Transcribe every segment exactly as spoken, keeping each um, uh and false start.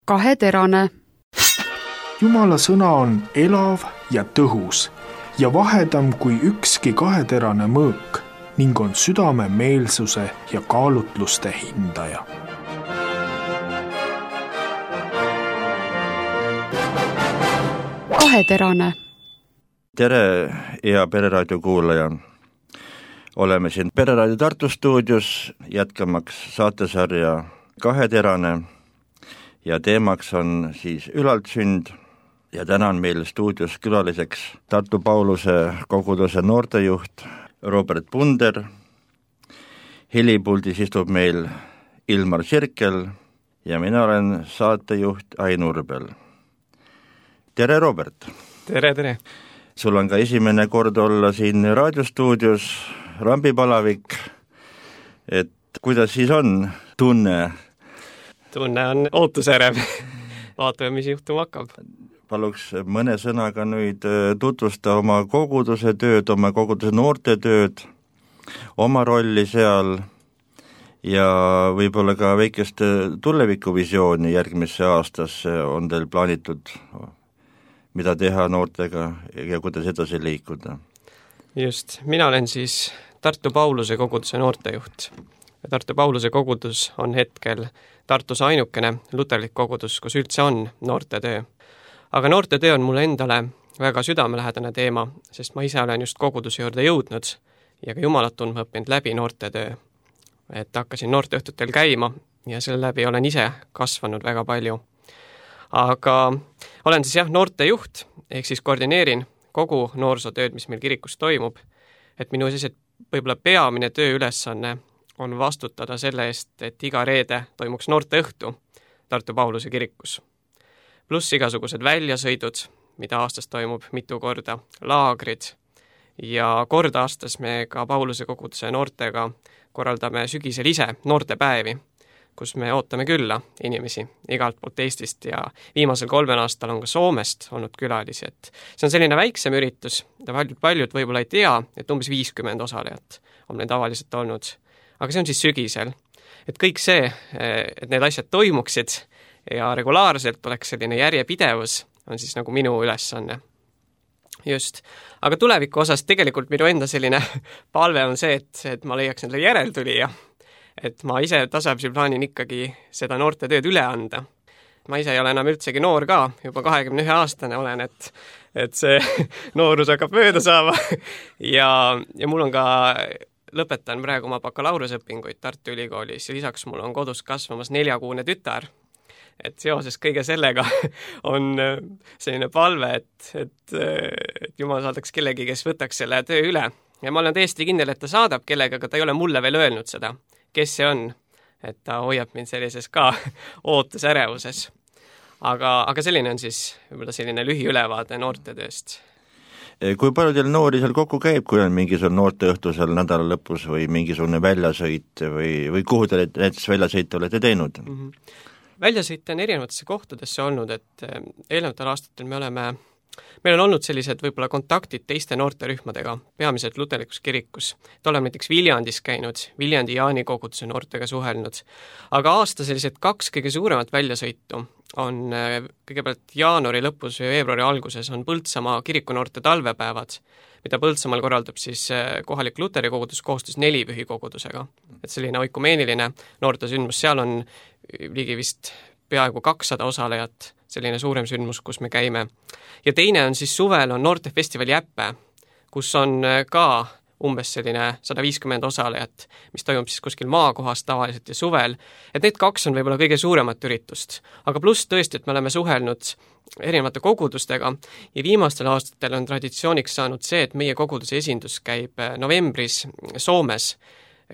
Kaheterane. Jumala sõna on elav ja tõhus ja vahedam kui ükski kaheterane mõõk ning on südame meelsuse ja kaalutluste hindaja. Kaheterane. Tere, hea Pereraadio kuulaja. Oleme siin Pereraadio Tartu stuudios jätkamaks saatesarja Kaheterane ja teemaks on siis ülaltsünd ja täna on meil stuudios külaliseks Tartu Pauluse koguduse noortejuht Robert Punder. Helipuldis istub meil Ilmar Sirkel ja mina olen saatejuht Ain Urbel. Tere, Robert! Tere, tere! Sul on ka esimene kord olla siin raadiostuudios, rambipalavik, et kuidas siis on tunne? Tunne on ootusärev. Vaatame, mis juhtuma hakkab. Paluks mõne sõnaga nüüd tutvusta oma koguduse tööd, oma koguduse noorte tööd, oma rolli seal ja võib-olla ka väikest tulevikuvisiooni järgmisse aastasse on teil plaanitud, mida teha noortega ja kuidas edasi liikuda. Just, mina olen siis Tartu Pauluse koguduse noortejuht. Tartu Pauluse kogudus on hetkel Tartus ainukene luterlik kogudus, kus üldse on noortetöö. Aga noortetöö on mulle endale väga südamelähedane teema, sest ma ise olen just koguduse juurde jõudnud ja ka Jumalat tundma õppinud läbi noortetöö. Et hakkasin noorteõhtutel käima ja selle läbi olen ise kasvanud väga palju. Aga olen siis jah noortejuht, ehk siis koordineerin kogu noorsootööd, mis meil kirikus toimub, et minu siis võib-olla peamine tööülesanne on vastutada selle eest, et iga reede toimuks noorteõhtu Tartu Pauluse kirikus. Pluss igasugused väljasõidud, mida aastas toimub mitu korda, laagrid ja kord aastas me ka Pauluse koguduse noortega korraldame sügisel ise noortepäevi, kus me ootame külla inimesi igalt poolt Eestist ja viimasel kolmen aastal on ka Soomest olnud külalisi, et see on selline väiksem üritus, mida paljud, paljud võib-olla ei tea, et umbes viiskümmend osalejat on meil tavaliselt olnud, aga see on siis sügisel. Et kõik see, et need asjad toimuksid ja regulaarselt oleks selline järjepidevus, on siis nagu minu ülesanne. Just. Aga tuleviku osas tegelikult minu enda selline palve on see, et, et ma leiaks endale järeltulija. Et ma ise tasapisi plaanin ikkagi seda noorte tööd üle anda. Ma ise ei ole enam üldsegi noor ka, juba kahekümne ühe aastane olen, et, et see noorus hakkab mööda saama. ja, ja mul on ka, lõpetan praegu oma bakalaureuseõpinguid Tartu Ülikoolis ja lisaks mul on kodus kasvamas neljakuune tütar. Et seoses kõige sellega on selline palve, et, et, et Jumal saadaks kellegi, kes võtaks selle töö üle. Ja ma olen täiesti kindel, et ta saadab kellega, aga ta ei ole mulle veel öelnud seda, kes see on. Et ta hoiab mind sellises ka ootusärevuses. Aga, aga selline on siis võib-olla selline lühiülevaade noortetööst. Kui palju teil noori seal kokku käib, kui on mingisugune noorteõhtu seal nädala lõpus või mingisugune väljasõit või, või kuhu te näiteks väljasõite olete teinud? Mm-hmm. Väljasõite on erinevatesse kohtadesse olnud, et eelnevatel aastatel me oleme, meil on olnud sellised võib-olla kontaktid teiste noorterühmadega, peamiselt luterlikus kirikus. Et oleme näiteks Viljandis käinud, Viljandi Jaani koguduse noortega suhelnud. Aga aasta sellised kaks kõige suuremat väljasõitu on kõigepealt jaanuari lõpus ja veebruari alguses on Põltsamaa kirikunoorte talvepäevad, mida Põltsamaal korraldab siis kohalik luteri kogudus koostöös nelipühi kogudusega. Et selline oikumeeniline noortesündmus, seal on ligi vist peaaegu kakssada osalejat, selline suurem sündmus, kus me käime. Ja teine on siis suvel on noortefestivali Äppe, kus on ka umbes selline sada viiskümmend osalejat, mis toimub siis kuskil maakohas tavaliselt ja suvel. Et need kaks on võib-olla kõige suuremat üritust. Aga pluss tõesti, et me oleme suhelnud erinevate kogudustega ja viimastel aastatel on traditsiooniks saanud see, et meie koguduse esindus käib novembris Soomes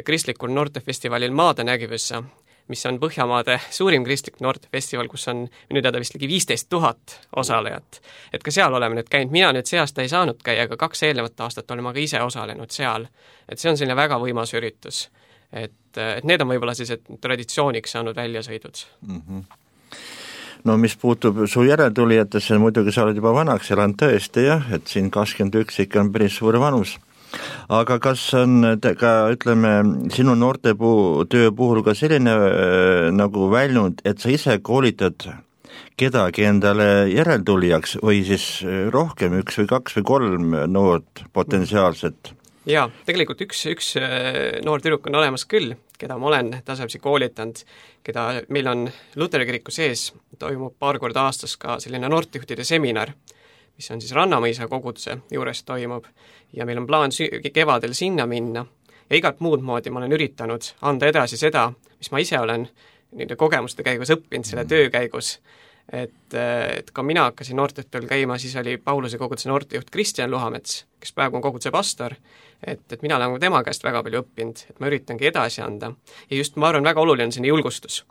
kristlikul noortefestivalil Maadenägivyssä, mis on Põhjamaade suurim kristlik noortefestival, kus on minu teada vist ligi viisteist tuhat osalejat. Et ka seal oleme nüüd käinud, mina nüüd see aasta ei saanud käia, aga kaks eelnevat aastat oleme ka ise osalenud seal. Et see on selline väga võimas üritus. Et, et need on võib-olla siis traditsiooniks saanud väljasõidud. Mm-hmm. No mis puutub su järeltulijatesse, muidugi sa oled juba vanaks elanud tõesti, jah, et siin kakskümmend üks ikka on päris suur vanus. Aga kas on ka, ütleme, sinu noorte puu, töö puhul ka selline äh, nagu väljund, et sa ise koolitad kedagi endale järeltulijaks või siis rohkem, üks või kaks või kolm noort potentsiaalset? Jaa, tegelikult üks, üks noor tüdruk on olemas küll, keda ma olen tasapisi koolitanud, keda meil on Luteri kiriku sees, toimub paar korda aastas ka selline noortejuhtide seminar, mis on siis Rannamõisa koguduse juures toimub ja meil on plaan kevadel sinna minna ja igat muud moodi ma olen üritanud anda edasi seda, mis ma ise olen nende kogemuste käigus õppinud, selle töö käigus, et, et ka mina hakkasin noorteõhtul käima, siis oli Pauluse koguduse noortejuht Kristjan Luhamets, kes praegu on koguduse pastor, et, et mina olen tema käest väga palju õppinud, et ma üritangi edasi anda. Ja just ma arvan, väga oluline on selline julgustus.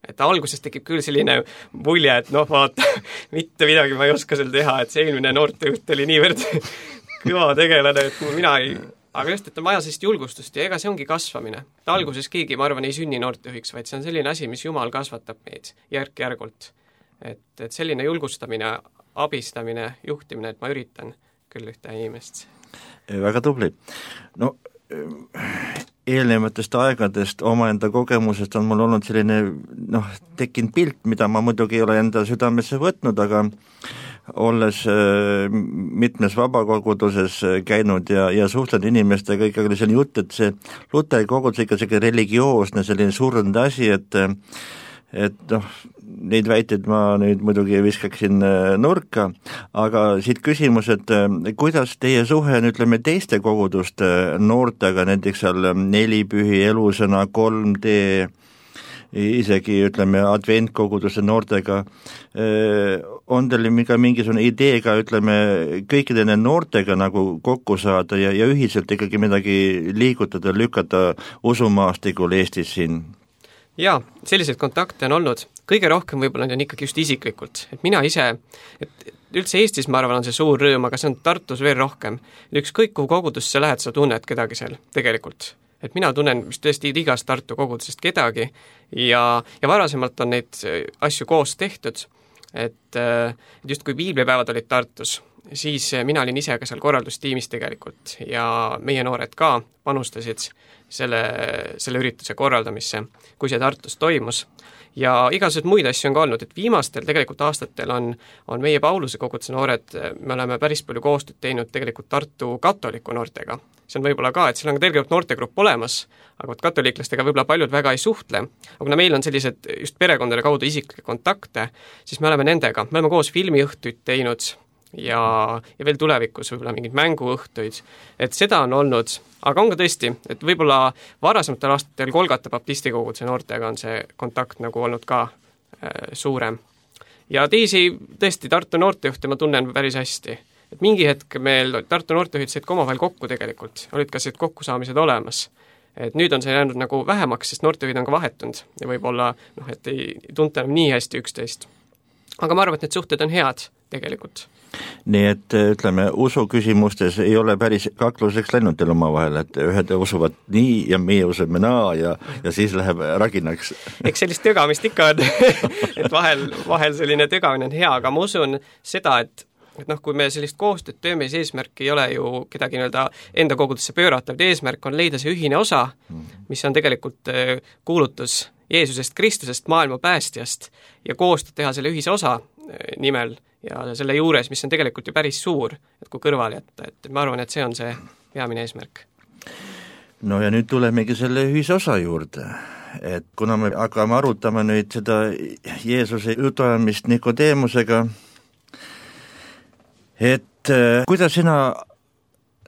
Et alguses tekib küll selline mulje, et noh, vaata, mitte midagi ma ei oska seal teha, et see eelmine noortejuht oli niivõrd kõva tegelane, et mina ei... Aga just, et on vaja sellist julgustust ja ega see ongi kasvamine. Alguses keegi, ma arvan, ei sünni noortejuhiks, vaid see on selline asi, mis Jumal kasvatab meid järk-järgult. Et, et selline julgustamine, abistamine, juhtimine, et ma üritan küll ühte inimest. Väga tubli. No eelnevatest aegadest omaenda kogemusest on mul olnud selline noh, tekkinud pilt, mida ma muidugi ei ole enda südamesse võtnud, aga olles mitmes vabakoguduses käinud ja, ja suhtlenud inimestega, ikkagi oli selline jutt, et see Luteri kogudus ikka selline religioosne, selline surnud asi, et et noh, neid väiteid ma nüüd muidugi viskaksin nurka, aga siit küsimus, et kuidas teie suhe on, ütleme, teiste koguduste noortega, näiteks seal Nelipühi, Elusõna, kolm D, isegi ütleme adventkoguduse noortega, on teil ka mingisugune ideega, ütleme, kõikide nende noortega nagu kokku saada ja, ja ühiselt ikkagi midagi liigutada, lükata usumaastikul Eestis siin? Jaa, selliseid kontakte on olnud. Kõige rohkem võib-olla on ikkagi just isiklikult. Et mina ise, et üldse Eestis ma arvan on see suur rõõm, aga see on Tartus veel rohkem. Ükskõik kuhu kogudusse lähed, sa tunned kedagi seal tegelikult. Et mina tunnen vist tõesti igast Tartu kogudusest kedagi ja, ja varasemalt on neid asju koos tehtud, et, et just kui piiblipäevad olid Tartus, siis mina olin ise ka seal korraldustiimis tegelikult ja meie noored ka panustasid selle, selle ürituse korraldamisse, kui see Tartus toimus. Ja igasugused muid asju on ka olnud, et viimastel tegelikult aastatel on, on meie Pauluse koguduse noored, me oleme päris palju koostööd teinud tegelikult Tartu katoliku noortega. See on võib-olla ka, et seal on ka tegelikult noortegrupp olemas, aga katoliiklastega võib-olla paljud väga ei suhtle. Aga kuna meil on sellised just perekondade kaudu isiklikke kontakte, siis me oleme nendega, me oleme koos filmiõhtuid teinud ja, ja veel tulevikus võib-olla mingid mänguõhtuid, et seda on olnud, aga on ka tõesti, et võib-olla varasematel aastatel Kolgata baptisti koguduse noortega on see kontakt nagu olnud ka äh, suurem. Ja teisi tõesti Tartu noortejuhte ma tunnen päris hästi. Et mingi hetk meil Tartu noortejuhid said ka omavahel kokku tegelikult, olid ka sellised kokkusaamised olemas. Et nüüd on see jäänud nagu vähemaks, sest noortejuhid on ka vahetunud ja võib-olla, noh, et ei tunta enam nii hästi üksteist. Aga ma arvan, et need suhted on head tegelikult. Nii et ütleme, usu küsimustes ei ole päris kakluseks läinud teil oma vahel, et ühed usuvad nii ja meie usume naa ja, ja siis läheb raginaks. Eks sellist tögamist ikka on, et vahel, vahel selline tögamine on hea, aga ma usun seda, et et noh, kui me sellist koostööd tööme, siis eesmärk ei ole ju kedagi nii-öelda enda kogudusse pöörata, vaid eesmärk on leida see ühine osa, mis on tegelikult kuulutus Jeesusest Kristusest, maailma päästjast ja koostööd teha selle ühise osa nimel ja selle juures, mis on tegelikult ju päris suur, et kui kõrval jätta, et ma arvan, et see on see peamine eesmärk. No ja nüüd tulemegi selle ühise osa juurde, et kuna me hakkame arutama nüüd seda Jeesuse jutuajamist Nikodeemusega, et äh, kuidas sina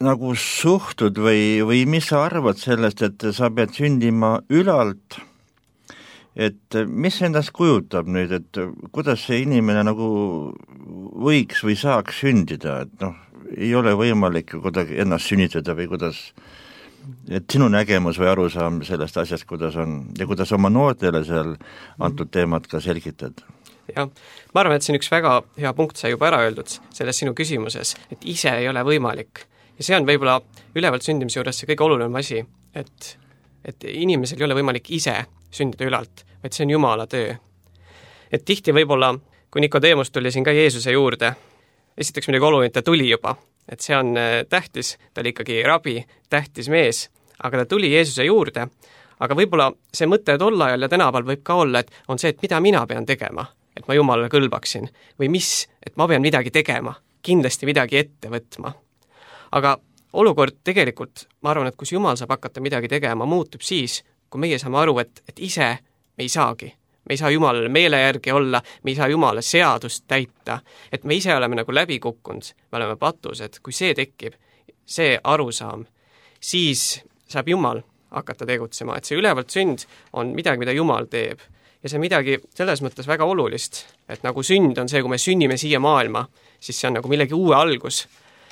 nagu suhtud või, või mis sa arvad sellest, et sa pead sündima ülalt, et mis endast kujutab nüüd, et kuidas see inimene nagu võiks või saaks sündida, et noh, ei ole võimalik kuidagi ennast sünnitada või kuidas, et sinu nägemus või arusaam sellest asjast, kuidas on ja kuidas oma noortele seal antud teemat ka selgitad? Jah, ma arvan, et see on üks väga hea punkt, sai juba ära öeldud selles sinu küsimuses, et ise ei ole võimalik. Ja see on võib-olla ülevalt sündimise juures see kõige oluline asi, et, et inimesel ei ole võimalik ise sündida ülalt, vaid see on Jumala töö. Et tihti võib-olla, kui Nikodeemus tuli siin ka Jeesuse juurde, esiteks midagi oluline, ta tuli juba, et see on tähtis, ta oli ikkagi rabi, tähtis mees, aga ta tuli Jeesuse juurde, aga võib-olla see mõte tol ajal ja tänaval võib ka olla, et on see, et mida mina pean tegema. et ma Jumalale kõlbaksin, või mis, et ma pean midagi tegema, kindlasti midagi ette võtma. Aga olukord tegelikult, ma arvan, et kus Jumal saab hakata midagi tegema, muutub siis, kui meie saame aru, et, et ise me ei saagi. Me ei saa Jumalale meele järgi olla, me ei saa Jumala seadust täita, et me ise oleme nagu läbi kukkunud, me oleme patused, kui see tekib, see arusaam, siis saab Jumal hakata tegutsema, et see ülevalt sünd on midagi, mida Jumal teeb. Ja see midagi selles mõttes väga olulist, et nagu sünd on see, kui me sünnime siia maailma, siis see on nagu millegi uue algus.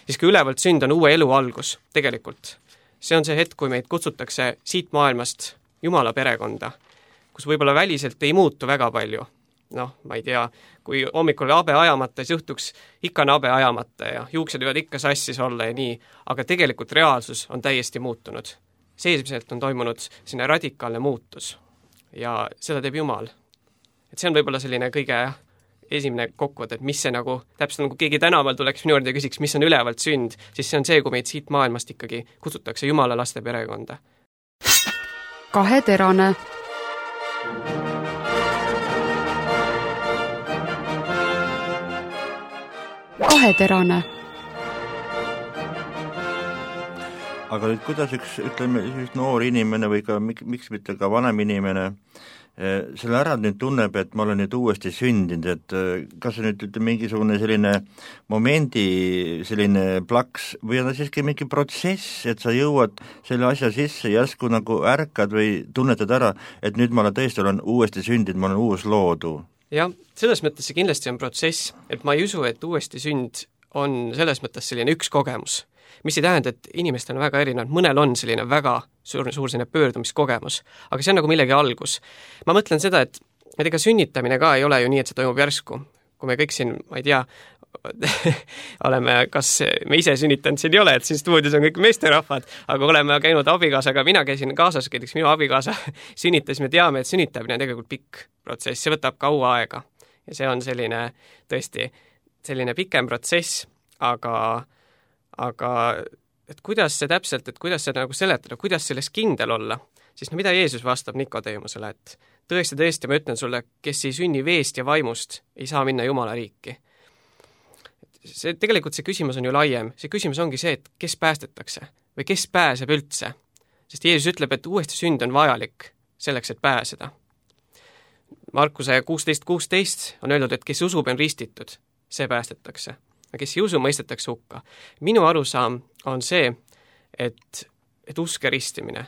Siis kui ülevalt sünd on uue elu algus, tegelikult. See on see hetk, kui meid kutsutakse siit maailmast Jumala perekonda, kus võib-olla väliselt ei muutu väga palju. Noh, ma ei tea, kui hommikul abe ajamata, siis õhtuks ikka abe ajamata ja juuksed võivad ikka sassis olla ja nii, aga tegelikult reaalsus on täiesti muutunud. Seesmiselt on toimunud sinna radikaalne muutus ja seda teeb Jumal. Et see on võib-olla selline kõige esimene kokkuvõte, et mis see nagu, täpselt nagu keegi tänaval tuleks minu juurde ja küsiks, mis on ülevalt sünd, siis see on see, kui meid siit maailmast ikkagi kutsutakse Jumala laste perekonda. Kaheterane. Kaheterane. Aga nüüd kuidas üks, ütleme, üks noor inimene või ka miks mitte ka vanem inimene selle ära nüüd tunneb, et ma olen nüüd uuesti sündinud, et kas see nüüd ütleme mingisugune selline momendi selline plaks või on siiski mingi protsess, et sa jõuad selle asja sisse, järsku nagu ärkad või tunnetad ära, et nüüd ma olen tõesti olen uuesti sündinud, ma olen uus loodu. Jah, selles mõttes see kindlasti on protsess, et ma ei usu, et uuesti sünd on selles mõttes selline üks kogemus, mis ei tähenda, et inimestel on väga erinevad, mõnel on selline väga suur, suur selline pöördumiskogemus, aga see on nagu millegi algus. Ma mõtlen seda, et, et ega sünnitamine ka ei ole ju nii, et see toimub järsku. Kui me kõik siin, ma ei tea, oleme, kas me ise sünnitanud siin ei ole, et siin stuudios on kõik meesterahvad, aga oleme käinud abikaasaga, mina käisin kaasas, näiteks minu abikaasa sünnitas, me teame, et sünnitamine on tegelikult pikk protsess, see võtab kaua aega. Ja see on selline, tõesti, selline pikem protsess, aga aga et kuidas see täpselt, et kuidas seda nagu seletada, kuidas selles kindel olla, siis no mida Jeesus vastab Nikodeemusele, et tõesti, tõesti, ma ütlen sulle, kes ei sünni veest ja vaimust, ei saa minna Jumala riiki. See, tegelikult see küsimus on ju laiem, see küsimus ongi see, et kes päästetakse või kes pääseb üldse, sest Jeesus ütleb, et uuesti sünd on vajalik selleks, et pääseda. Markuse kuusteist kuusteist on öeldud, et kes usub on ristitud, see päästetakse. Kes ei usu, mõistetakse hukka. Minu arusaam on see, et, et uske ristimine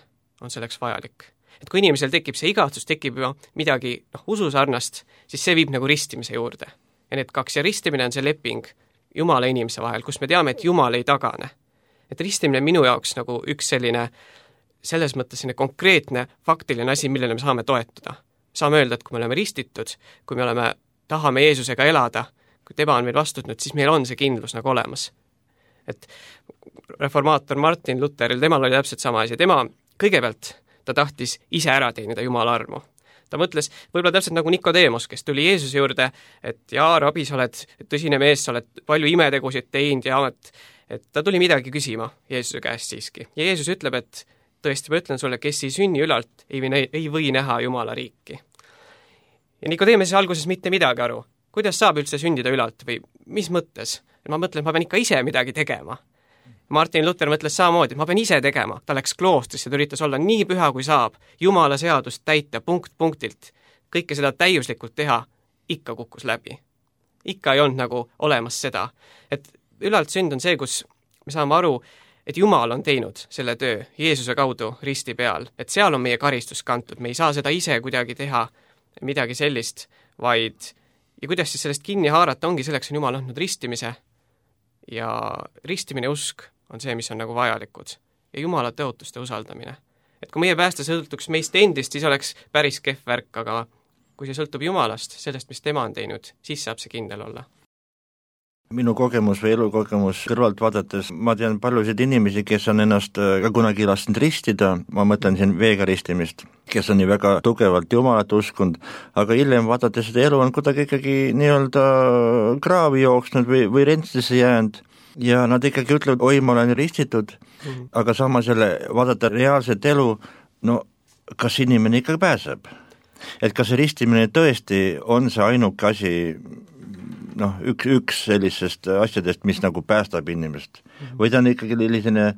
on selleks vajalik. Et kui inimesel tekib see igatsus, tekib ju midagi noh, ususarnast, siis see viib nagu ristimise juurde. Ja need kaks ja ristimine on see leping Jumala inimese vahel, kus me teame, et Jumal ei tagane. Et ristimine minu jaoks nagu üks selline, selles mõttes selline konkreetne, faktiline asi, millele me saame toetuda. Saame öelda, et kui me oleme ristitud, kui me oleme, tahame Jeesusega elada, kui tema on meil vastutnud, siis meil on see kindlus nagu olemas. Et reformaator Martin Lutheril, temal oli täpselt sama asi. Tema kõigepealt ta tahtis ise ära teenida Jumala armu. Ta mõtles, võib-olla täpselt nagu Nikodeemus, kes tuli Jeesuse juurde, et jaa, rabi, sa oled tõsine mees, sa oled palju imetegusid teinud ja et, et ta tuli midagi küsima Jeesuse käest siiski. Ja Jeesus ütleb, et tõesti, ma ütlen sulle, kes ei sünni ülalt, ei või, ei või näha Jumala riiki. Ja Nikodeemus alguses mitte midagi aru. Kuidas saab üldse sündida ülalt või mis mõttes? Ma mõtlen, et ma pean ikka ise midagi tegema. Martin Luther mõtles samamoodi, et ma pean ise tegema. Ta läks kloostrisse, ta üritas olla nii püha kui saab, Jumala seadust täita punkt punktilt. Kõike seda täiuslikult teha, ikka kukkus läbi. Ikka ei olnud nagu olemas seda. Et ülalt sünd on see, kus me saame aru, et Jumal on teinud selle töö Jeesuse kaudu risti peal. Et seal on meie karistus kantud, me ei saa seda ise kuidagi teha midagi sellist, vaid ja kuidas siis sellest kinni haarata, ongi selleks on Jumal andnud ristimise ja ristimine usk on see, mis on nagu vajalikud ja Jumala tõotuste usaldamine. Et kui meie pääste sõltuks meist endist, siis oleks päris kehv värk, aga kui see sõltub Jumalast, sellest, mis tema on teinud, siis saab see kindel olla. Minu kogemus või elukogemus kõrvalt vaadates, ma tean paljusid inimesi, kes on ennast ka kunagi lasknud ristida, ma mõtlen siin veega ristimist, kes on nii väga tugevalt Jumalat uskunud, aga hiljem vaadates seda elu on kuidagi ikkagi nii-öelda kraavi jooksnud või, või rentslisse jäänud ja nad ikkagi ütlevad, oi, ma olen ristitud, mm-hmm. aga samas jälle vaadata reaalset elu, no kas inimene ikka pääseb? et kas see ristimine tõesti on see ainuke asi, noh, üks, üks sellisest asjadest, mis nagu päästab inimest või ta on ikkagi selline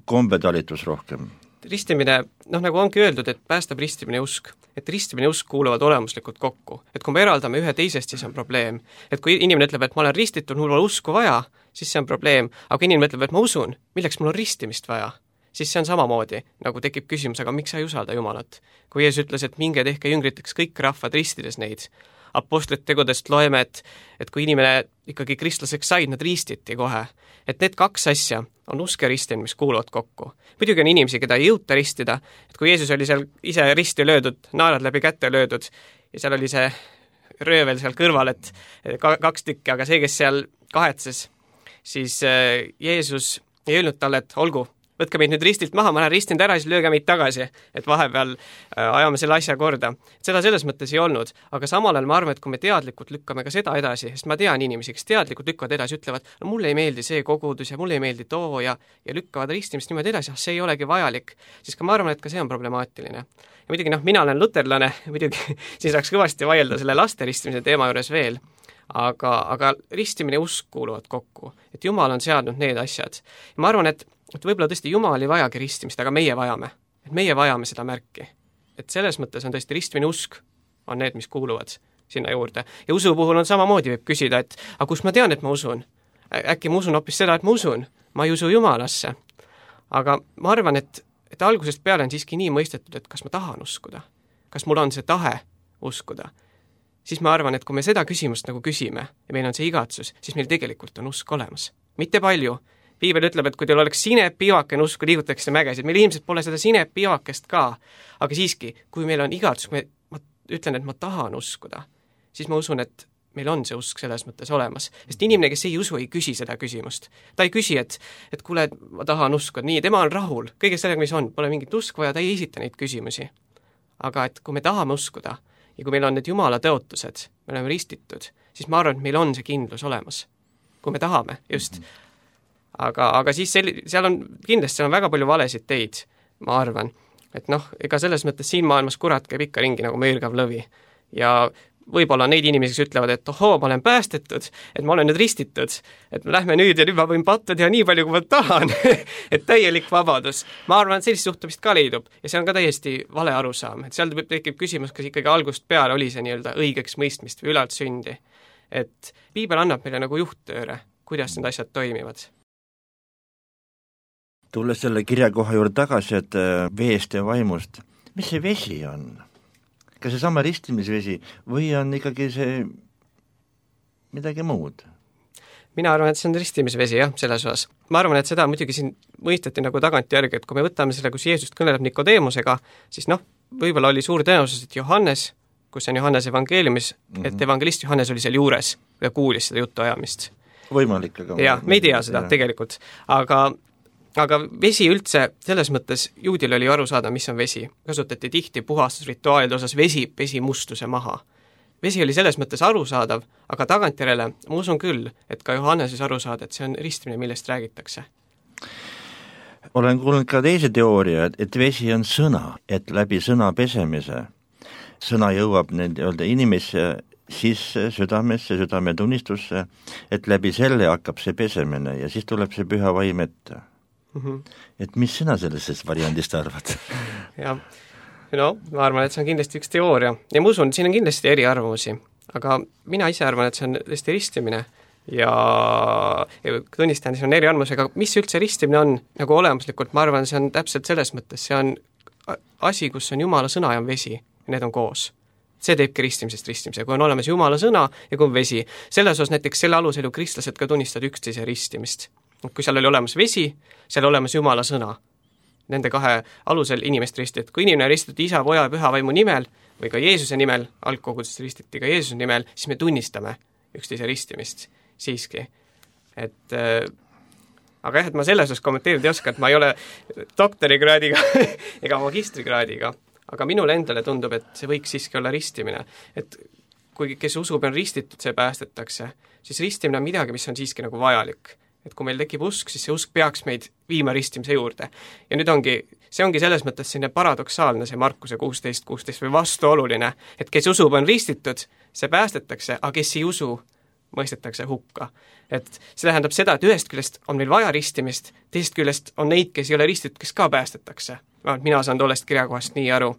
kombetalitus rohkem? Ristimine, noh nagu ongi öeldud, et päästab ristimine ja usk. Et ristimine ja usk kuuluvad olemuslikult kokku. Et kui me eraldame ühe teisest, siis on probleem. Et kui inimene ütleb, et ma olen ristitud, mul on usku vaja, siis see on probleem. Aga kui inimene ütleb, et ma usun, milleks mul on ristimist vaja, siis see on samamoodi, nagu tekib küsimus, aga miks sa ei usalda Jumalat? Kui Jeesus ütles, et minge tehke jüngriteks kõik rahvad ristides neid, apostlite tegudest loeme, et, et kui inimene ikkagi kristlaseks said, nad ristiti kohe. Et need kaks asja on usk ja ristimine, mis kuuluvad kokku. Muidugi on inimesi, keda ei jõuta ristida, et kui Jeesus oli seal ise risti löödud, naelad läbi kätte löödud ja seal oli see röövel seal kõrval, et kaks tükki, aga see, kes seal kahetses, siis Jeesus ei öelnud talle, et olgu, võtke meid nüüd ristilt maha, ma lähen ristinud ära, siis lööge meid tagasi, et vahepeal ajame selle asja korda. Seda selles mõttes ei olnud, aga samal ajal ma arvan, et kui me teadlikult lükkame ka seda edasi, sest ma tean inimesi, kes teadlikult lükkavad edasi, ütlevad, no mulle ei meeldi see kogudus ja mulle ei meeldi too ja, ja lükkavad ristimist niimoodi edasi, see ei olegi vajalik, siis ka ma arvan, et ka see on problemaatiline. Ja muidugi, noh, mina olen luterlane, muidugi siis saaks kõvasti vaielda selle laste ristimise teema juures veel, aga, aga ristimine ja usk kuuluvad kokku, et Jumal on seadnud need asjad. Ja ma arvan, et et võib-olla tõesti Jumal ei vajagi ristimist, aga meie vajame. Et meie vajame seda märki. Et selles mõttes on tõesti ristimine usk on need, mis kuuluvad sinna juurde. Ja usu puhul on samamoodi, võib küsida, et aga kus ma tean, et ma usun? Äkki ma usun hoopis seda, et ma usun. Ma ei usu Jumalasse. Aga ma arvan, et, et algusest peale on siiski nii mõistetud, et kas ma tahan uskuda. Kas mul on see tahe uskuda. Siis ma arvan, et kui me seda küsimust nagu küsime ja meil on see igatsus, siis meil tegelikult on usk olemas. Mitte palju. Piibel ütleb, et kui teil oleks sinepiivakene usku, liigutaks see mägesid. Meil ilmselt pole seda sinepiivakest ka. Aga siiski, kui meil on igatsus, kui ma ütlen, et ma tahan uskuda, siis ma usun, et meil on see usk selles mõttes olemas. Sest inimene, kes ei usu, ei küsi seda küsimust. Ta ei küsi, et, et kuule, ma tahan uskuda. Nii, tema on rahul. Kõigest sellega, mis on. Pole mingit usku vaja, ta ei esita neid küsimusi. Aga et kui me tahame uskuda ja kui meil on need Jumala tõotused, me oleme ristitud, siis ma arvan, et meil on see kindlus olemas. Kui me tahame, just. Mm-hmm. Aga, aga siis sel, seal on kindlasti seal on väga palju valesid teid, ma arvan. Et noh, ega selles mõttes siin maailmas kurat käib ikka ringi nagu möirgav lõvi. Ja võib-olla neid inimesi, kes ütlevad, et ohoo, ma olen päästetud, et ma olen nüüd ristitud, et lähme nüüd ja nüüd ma võin patta teha nii palju, kui ma tahan, et täielik vabadus. Ma arvan, et sellist suhtumist ka leidub ja see on ka täiesti vale arusaam. Et seal tekib küsimus, kas ikkagi algust peale oli see nii-öelda õigeks mõistmist või ülalt sündi. Et Piibel annab meile nagu juhttööre, kuidas need asjad toimivad. Tulles selle kirjakoha juurde tagasi, et veest ja vaimust, mis see vesi on? Kas see sama ristimisvesi või on ikkagi see midagi muud? Mina arvan, et see on ristimisvesi, jah, selles osas. Ma arvan, et seda muidugi siin mõisteti nagu tagantjärgi, et kui me võtame selle, kus Jeesus kõneleb Nikodeemusega, siis noh, võib-olla oli suur tõenäosus, et Johannes, kus on Johannes evangeeliumis, mm-hmm. et evangelist Johannes oli seal juures ja kuulis seda juttu ajamist. Võimalik, aga... jah, me ei tea seda ja. Tegelikult, aga Aga vesi üldse, selles mõttes juudil oli aru saada, mis on vesi. Kasutati tihti puhastusrituaalide osas vesi, vesi mustuse maha. Vesi oli selles mõttes arusaadav, aga tagantjärele ma usun küll, et ka Johanneses aru saada, et see on ristimine, millest räägitakse. Olen kuulnud ka teise teooria, et vesi on sõna, et läbi sõna pesemise sõna jõuab need öelda, inimesse sisse, südamesse, südametunnistusse, et läbi selle hakkab see pesemine ja siis tuleb see püha vaim ette. Mm-hmm. Et mis sina sellest variandist arvad? ja, no ma arvan, et see on kindlasti üks teooria ja ma usun, siin on kindlasti eri arvamusi, aga mina ise arvan, et see on tõesti ristimine ja, ja tunnistan, see on eri arvamus, aga mis üldse ristimine on nagu olemuslikult, ma arvan, see on täpselt selles mõttes, see on asi, kus on Jumala sõna ja on vesi ja need on koos. See teebki ristimisest ristimise, kui on olemas Jumala sõna ja kui on vesi. Selles osas näiteks selle alusel ju kristlased ka tunnistavad üksteise ristimist. Kui seal oli olemas vesi, seal olemas Jumala sõna. Nende kahe alusel inimest ristiti. Kui inimene ristiti isa, poja ja püha vaimu nimel või ka Jeesuse nimel, algkogudest ristiti ka Jeesuse nimel, siis me tunnistame üksteise ristimist siiski. Et, äh, aga jah, et ma selles osas kommenteerida ei oska, et ma ei ole doktorikraadiga ega magistrikraadiga, aga minule endale tundub, et see võiks siiski olla ristimine. Et kui kes usub on ristitud, see päästetakse, siis ristimine on midagi, mis on siiski nagu vajalik. Et kui meil tekib usk, siis see usk peaks meid viima ristimise juurde. Ja nüüd ongi see ongi selles mõttes selline paradoksaalne, see Markuse kuusteist kuusteist või vastuoluline, et kes usub, on ristitud, see päästetakse, aga kes ei usu, mõistetakse hukka. Et see tähendab seda, et ühest küljest on meil vaja ristimist, teisest küljest on neid, kes ei ole ristitud, kes ka päästetakse. Mina saan tollest kirjakohast nii aru,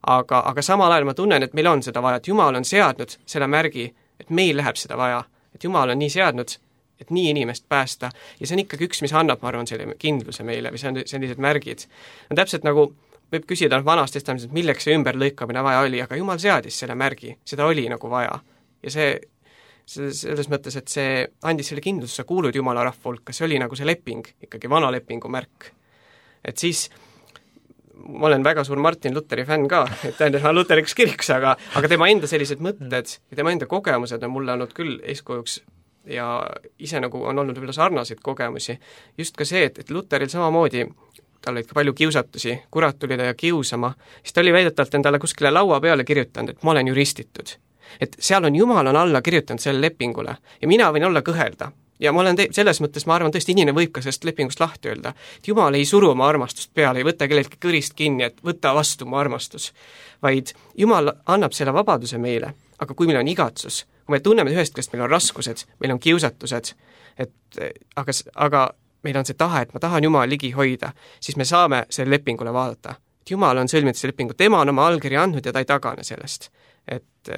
aga, aga samal ajal ma tunnen, et meil on seda vaja, et Jumal on seadnud selle märgi, et meil läheb seda vaja, et Jumal on nii seadnud, et nii inimest päästa ja see on ikkagi üks, mis annab, ma arvan, selle kindluse meile või see on sellised märgid. No täpselt nagu võib küsida vanast testamendist, et milleks see ümberlõikamine vaja oli, aga Jumal seadis selle märgi, seda oli nagu vaja. Ja see, see selles mõttes, et see andis selle kindluse, sa kuulud Jumala rahva hulka, see oli nagu see leping, ikkagi vana lepingu märk. Et siis ma olen väga suur Martin Lutheri fänn ka, et tähendab, ma Lutheriks kiriks, aga, aga tema enda sellised mõtted ja tema enda kogemused on mulle olnud küll eeskujuks ja ise nagu on olnud võib-olla sarnaseid kogemusi. Just ka see, et, et Lutheril samamoodi, tal olid ka palju kiusatusi, kurat tuli ta ja kiusama, siis ta oli väidetavalt endale kuskile laua peale kirjutanud, et ma olen ju ristitud. Et seal on Jumal on alla kirjutanud selle lepingule ja mina võin olla kõhelda. Ja ma olen te- selles mõttes, ma arvan, tõesti inimene võib ka sellest lepingust lahti öelda, et Jumal ei suru oma armastust peale, ei võta kelleltki kõrist kinni, et võta vastu mu armastus, vaid Jumal annab selle vabaduse meile, aga kui meil on igatsus, kui me tunneme ühest küljest, meil on raskused, meil on kiusatused, et aga, aga meil on see tahe, et ma tahan Jumal ligi hoida, siis me saame selle lepingule vaadata. Et Jumal on sõlminud see lepingu, tema on oma allkirja andnud ja ta ei tagane sellest. Et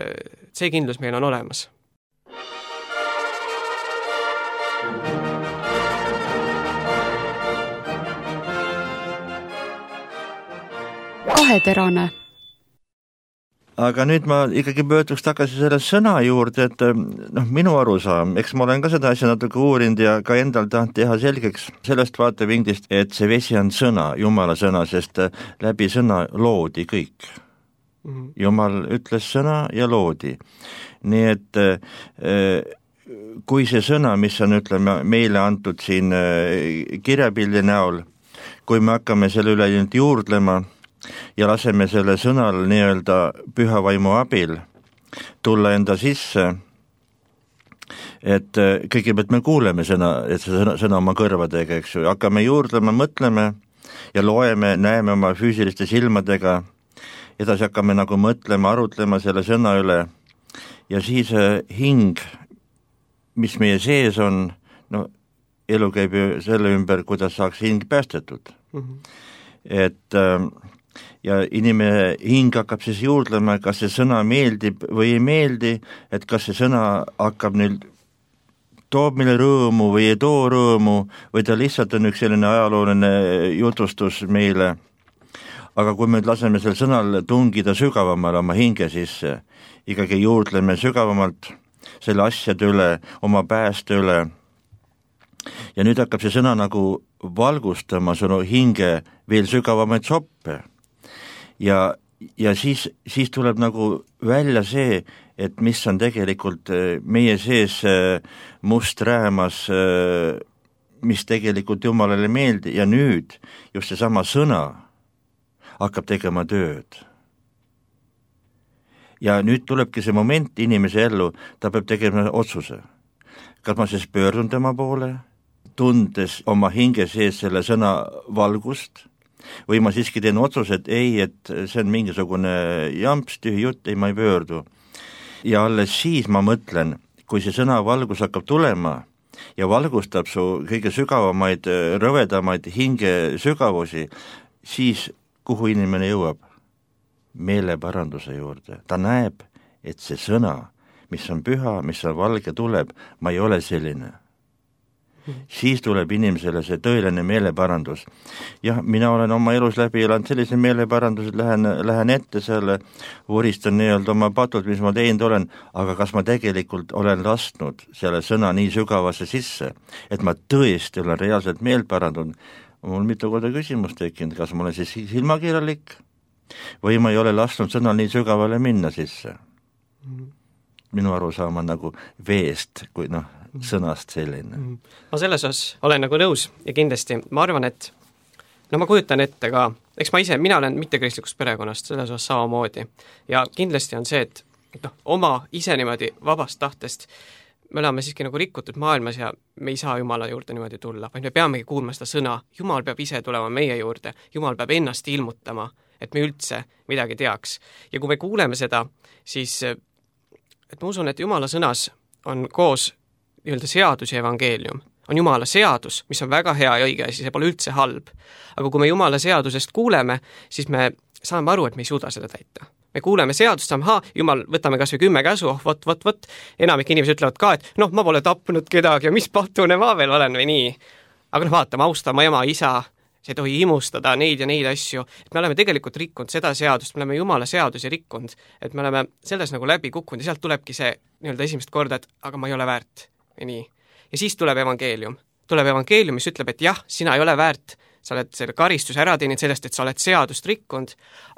see kindlus meil on olemas. Kaheterane. Aga nüüd ma ikkagi pöörduks tagasi selle sõna juurde, et noh, minu arusaam, eks ma olen ka seda asja natuke uurinud ja ka endal tahan teha selgeks sellest vaatevinklist, et see vesi on sõna, Jumala sõna, sest läbi sõna loodi kõik. Mm-hmm. Jumal ütles sõna ja loodi. Nii et kui see sõna, mis on, ütleme, meile antud siin kirjapildi näol, kui me hakkame selle üle juurdlema ja laseme selle sõnal nii-öelda püha vaimu abil tulla enda sisse, et kõigepealt me kuuleme sõna, et see sõna, sõna oma kõrvadega, eks ju, hakkame juurdlema, mõtleme ja loeme, näeme oma füüsiliste silmadega, edasi hakkame nagu mõtlema, arutlema selle sõna üle ja siis hing, mis meie sees on, no elu käib ju selle ümber, kuidas saaks hing päästetud. Mm-hmm. Et ja inimene hing hakkab siis juurdlema, kas see sõna meeldib või ei meeldi, et kas see sõna hakkab nüüd toob meile rõõmu või ei too rõõmu või ta lihtsalt on üks selline ajalooline jutustus meile. Aga kui me laseme sel sõnal tungida sügavamale oma hinge sisse, ikkagi juurdleme sügavamalt selle asjade üle, oma pääste üle ja nüüd hakkab see sõna nagu valgustama sinu hinge veel sügavamaid soppe. Ja, ja siis, siis tuleb nagu välja see, et mis on tegelikult meie sees must räämas, mis tegelikult Jumalale meeldi ja nüüd just see sama sõna hakkab tegema tööd. Ja nüüd tulebki see moment inimese ellu, ta peab tegema otsuse. Kas ma siis pöördun tema poole, tundes oma hinge sees selle sõna valgust, või ma siiski teen otsuse, et ei, et see on mingisugune jamps, tühi jutt, ei, ma ei pöördu. Ja alles siis ma mõtlen, kui see sõna valgus hakkab tulema ja valgustab su kõige sügavamaid, rõvedamaid hinge sügavusi, siis kuhu inimene jõuab? Meeleparanduse juurde. Ta näeb, et see sõna, mis on püha, mis on valge, tuleb, ma ei ole selline. Siis tuleb inimesele see tõeline meeleparandus. Jah, mina olen oma elus läbi elanud sellise meeleparandus, et lähen, lähen ette selle, vuristan nii-öelda oma patud, mis ma teinud olen, aga kas ma tegelikult olen lastnud selle sõna nii sügavasse sisse, et ma tõesti olen reaalselt meelt parandunud. Mul mitu korda küsimus tekkinud, kas ma olen siis silmakirjalik või ma ei ole lasknud sõnal nii sügavale minna sisse. Minu arusaam on nagu veest, kui noh, sõnast selline. Ma selles osas olen nagu nõus ja kindlasti ma arvan, et no ma kujutan ette ka, eks ma ise, mina olen mittekristlikust perekonnast selles osas samamoodi ja kindlasti on see, et, et noh, oma ise niimoodi vabast tahtest me oleme siiski nagu rikutud maailmas ja me ei saa Jumala juurde niimoodi tulla, vaid me peamegi kuulma seda sõna. Jumal peab ise tulema meie juurde, Jumal peab ennast ilmutama, et me üldse midagi teaks. Ja kui me kuuleme seda, siis et ma usun, et Jumala sõnas on koos nii-öelda seadus ja evangeelium. On Jumala seadus, mis on väga hea ja õige ja siis see pole üldse halb. Aga kui me Jumala seadusest kuuleme, siis me saame aru, et me ei suuda seda täita. Me kuuleme seadust, saame, haa, Jumal, võtame kas või kümme käsu, oh, võt, võt, võt. Enamik inimesed ütlevad ka, et noh, ma pole tapnud kedagi ja mis patune ma veel olen või nii. Aga noh, vaata, ma austan ma ema, isa, see ei tohi imustada neid ja neid asju. Et me oleme tegelikult rikkunud seda seadust, me oleme Jumala seadusi rikkunud, et me oleme selles nagu läbi kukkunud ja sealt tulebki see nii-öelda esimest korda, et aga ma ei ole väärt või nii. Ja siis tuleb evangeelium. Tuleb evangeelium, mis ütleb, et jah, sina ei ole väärt, sa oled selle karistuse ära teinud sellest, et sa oled seadust rikkunud,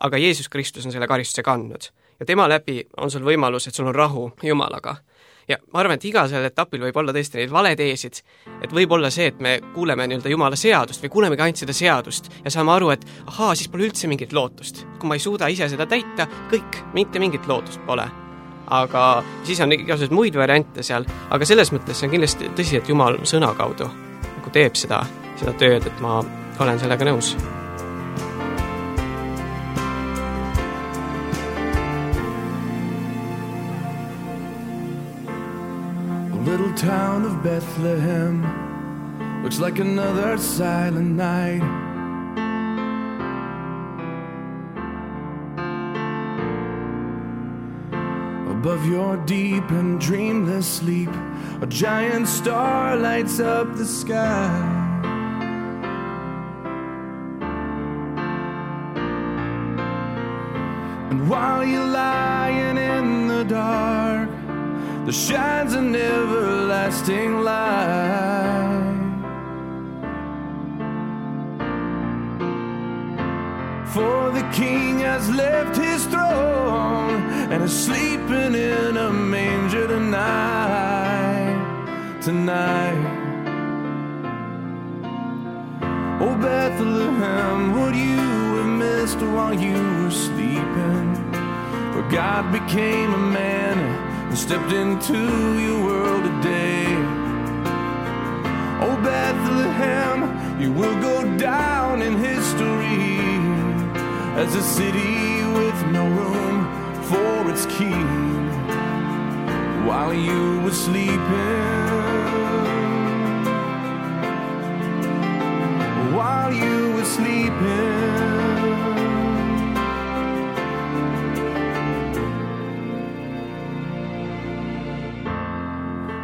aga Jeesus Kristus on selle karistuse kandnud. Ja tema läbi on sul võimalus, et sul on rahu Jumalaga. Ja ma arvan, et igal sellel etapil võib olla tõesti neid valeteesid, et võib olla see, et me kuuleme nii-öelda Jumala seadust või kuulemegi ainult seda seadust ja saame aru, et ahaa, siis pole üldse mingit lootust. Kui ma ei suuda ise seda täita, kõik, mitte mingit lootust pole. Aga siis on igasugused muid variante seal, aga selles mõttes see on kindlasti tõsi, et Jumal sõna kaudu nagu teeb seda, seda tööd, et ma olen sellega nõus. A little town of Bethlehem looks like another silent night. Above your deep and dreamless sleep, a giant star lights up the sky. And while you're lying in the dark, there shines an everlasting light. For the King has left his throne and is sleeping in a manger tonight, tonight. Oh, Bethlehem, would you have missed while you were sleeping? For God became a man and stepped into your world today. Oh, Bethlehem, you will go down in history as a city with no room for its king. While you were sleeping, while you were sleeping,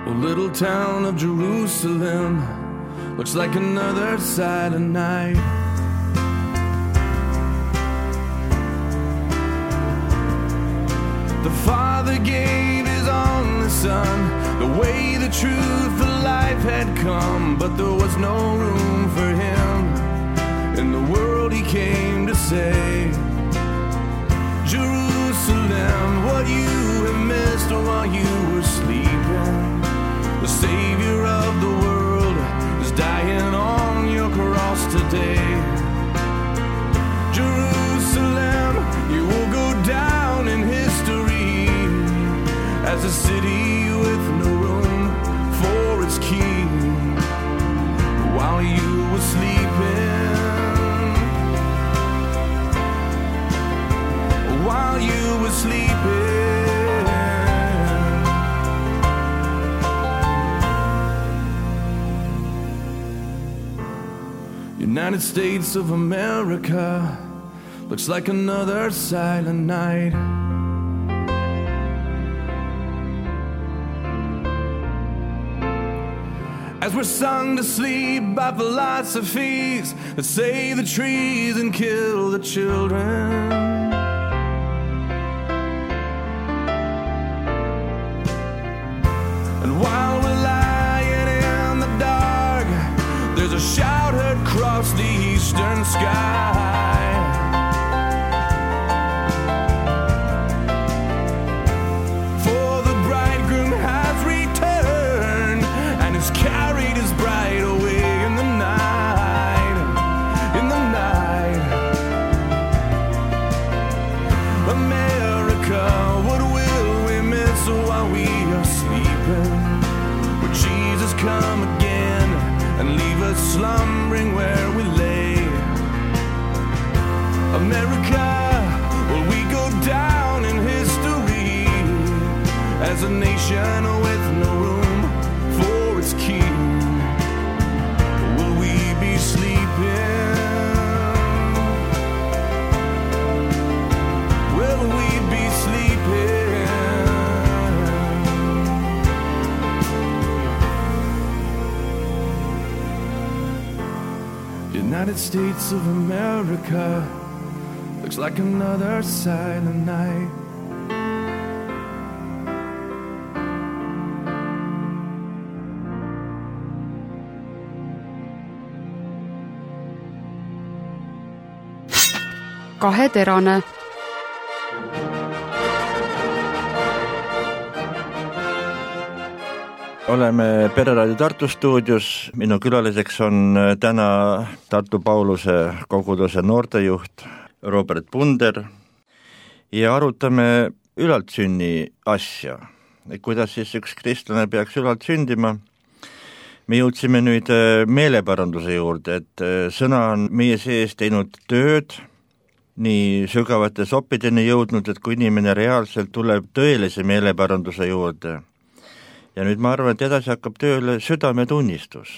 a little town of Jerusalem looks like another silent night. The Father gave his only Son, the way, the truth, the life had come, but there was no room for him in the world he came to save. Jerusalem, what you have missed while you were sleeping. The Savior of the world is dying on your cross today. Jerusalem, you will go down in history as a city with no room for its king. While you were sleeping, while you were sleeping, United States of America looks like another silent night. As we're sung to sleep by philosophies that save the trees and kill the children. And while we're lying in the dark, there's a shout heard across the eastern sky. For the bridegroom has returned and has carried his bride away in the night, in the night. America, what will we miss while we are sleeping? come again and leave us slumbering where we lay. America, will we go down in history as a nation with no room for its king? Will we be sleeping? Will we be sleeping? United States of America looks like another silent night. Kaheterane. Oleme Pereraadio Tartu stuudios, minu külaliseks on täna Tartu Pauluse koguduse noortejuht Robert Punder ja arutame ülaltsünni asja, kuidas siis üks kristlane peaks ülalt sündima. Me jõudsime nüüd meeleparanduse juurde, et sõna on meie sees teinud tööd, nii sügavate soppideni jõudnud, et kui inimene reaalselt tuleb tõelise meeleparanduse juurde. Ja nüüd ma arvan, et edasi hakkab tööle südametunnistus.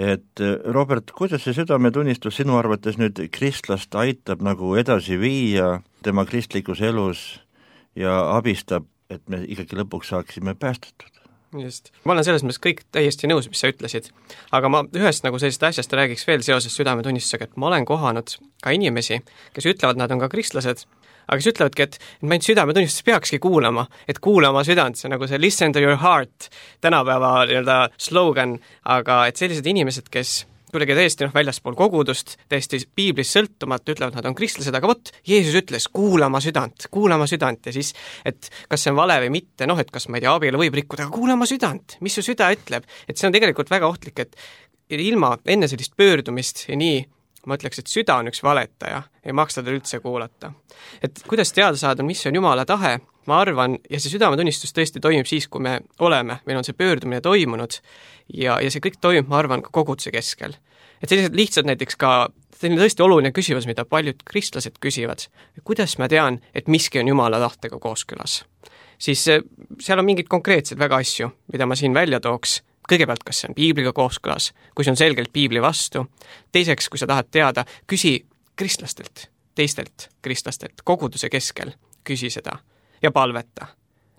Et Robert, kuidas see südametunnistus sinu arvates nüüd kristlast aitab nagu edasi viia tema kristlikus elus ja abistab, et me ikkagi lõpuks saaksime päästetud? Just. Ma olen selles mõttes kõik täiesti nõus, mis sa ütlesid. Aga ma ühest nagu sellisest asjast räägiks veel seoses südametunnistusega, et ma olen kohanud ka inimesi, kes ütlevad, nad on ka kristlased, aga kes ütlevadki, et ma ainult südametunnistus peakski kuulama, et kuulama südant, see on nagu see listen to your heart, tänapäeva nii-öelda slogan, aga et sellised inimesed, kes kuidagi täiesti noh, väljaspool kogudust, täiesti piiblist sõltumata, ütlevad, nad on kristlased, aga vot, Jeesus ütles, kuulama südant, kuulama südant ja siis, et kas see on vale või mitte, noh, et kas ma ei tea, abielu võib rikkuda, aga kuulama südant, mis su süda ütleb, et see on tegelikult väga ohtlik, et ilma enne sellist pöördumist ja nii, ma ütleks, et süda on üks valetaja, ei maksa tal üldse kuulata. Et kuidas teada saada, mis on Jumala tahe, ma arvan, ja see südametunnistus tõesti toimib siis, kui me oleme, meil on see pöördumine toimunud ja, ja see kõik toimub, ma arvan, ka koguduse keskel. Et sellised lihtsalt näiteks ka, selline tõesti oluline küsimus, mida paljud kristlased küsivad, kuidas ma tean, et miski on Jumala tahtega kooskõlas. Siis seal on mingid konkreetsed väga asju, mida ma siin välja tooks. Kõigepealt, kas see on piibliga kooskõlas, kui see on selgelt piibli vastu. Teiseks, kui sa tahad teada, küsi kristlastelt, teistelt kristlastelt, koguduse keskel, küsi seda ja palveta.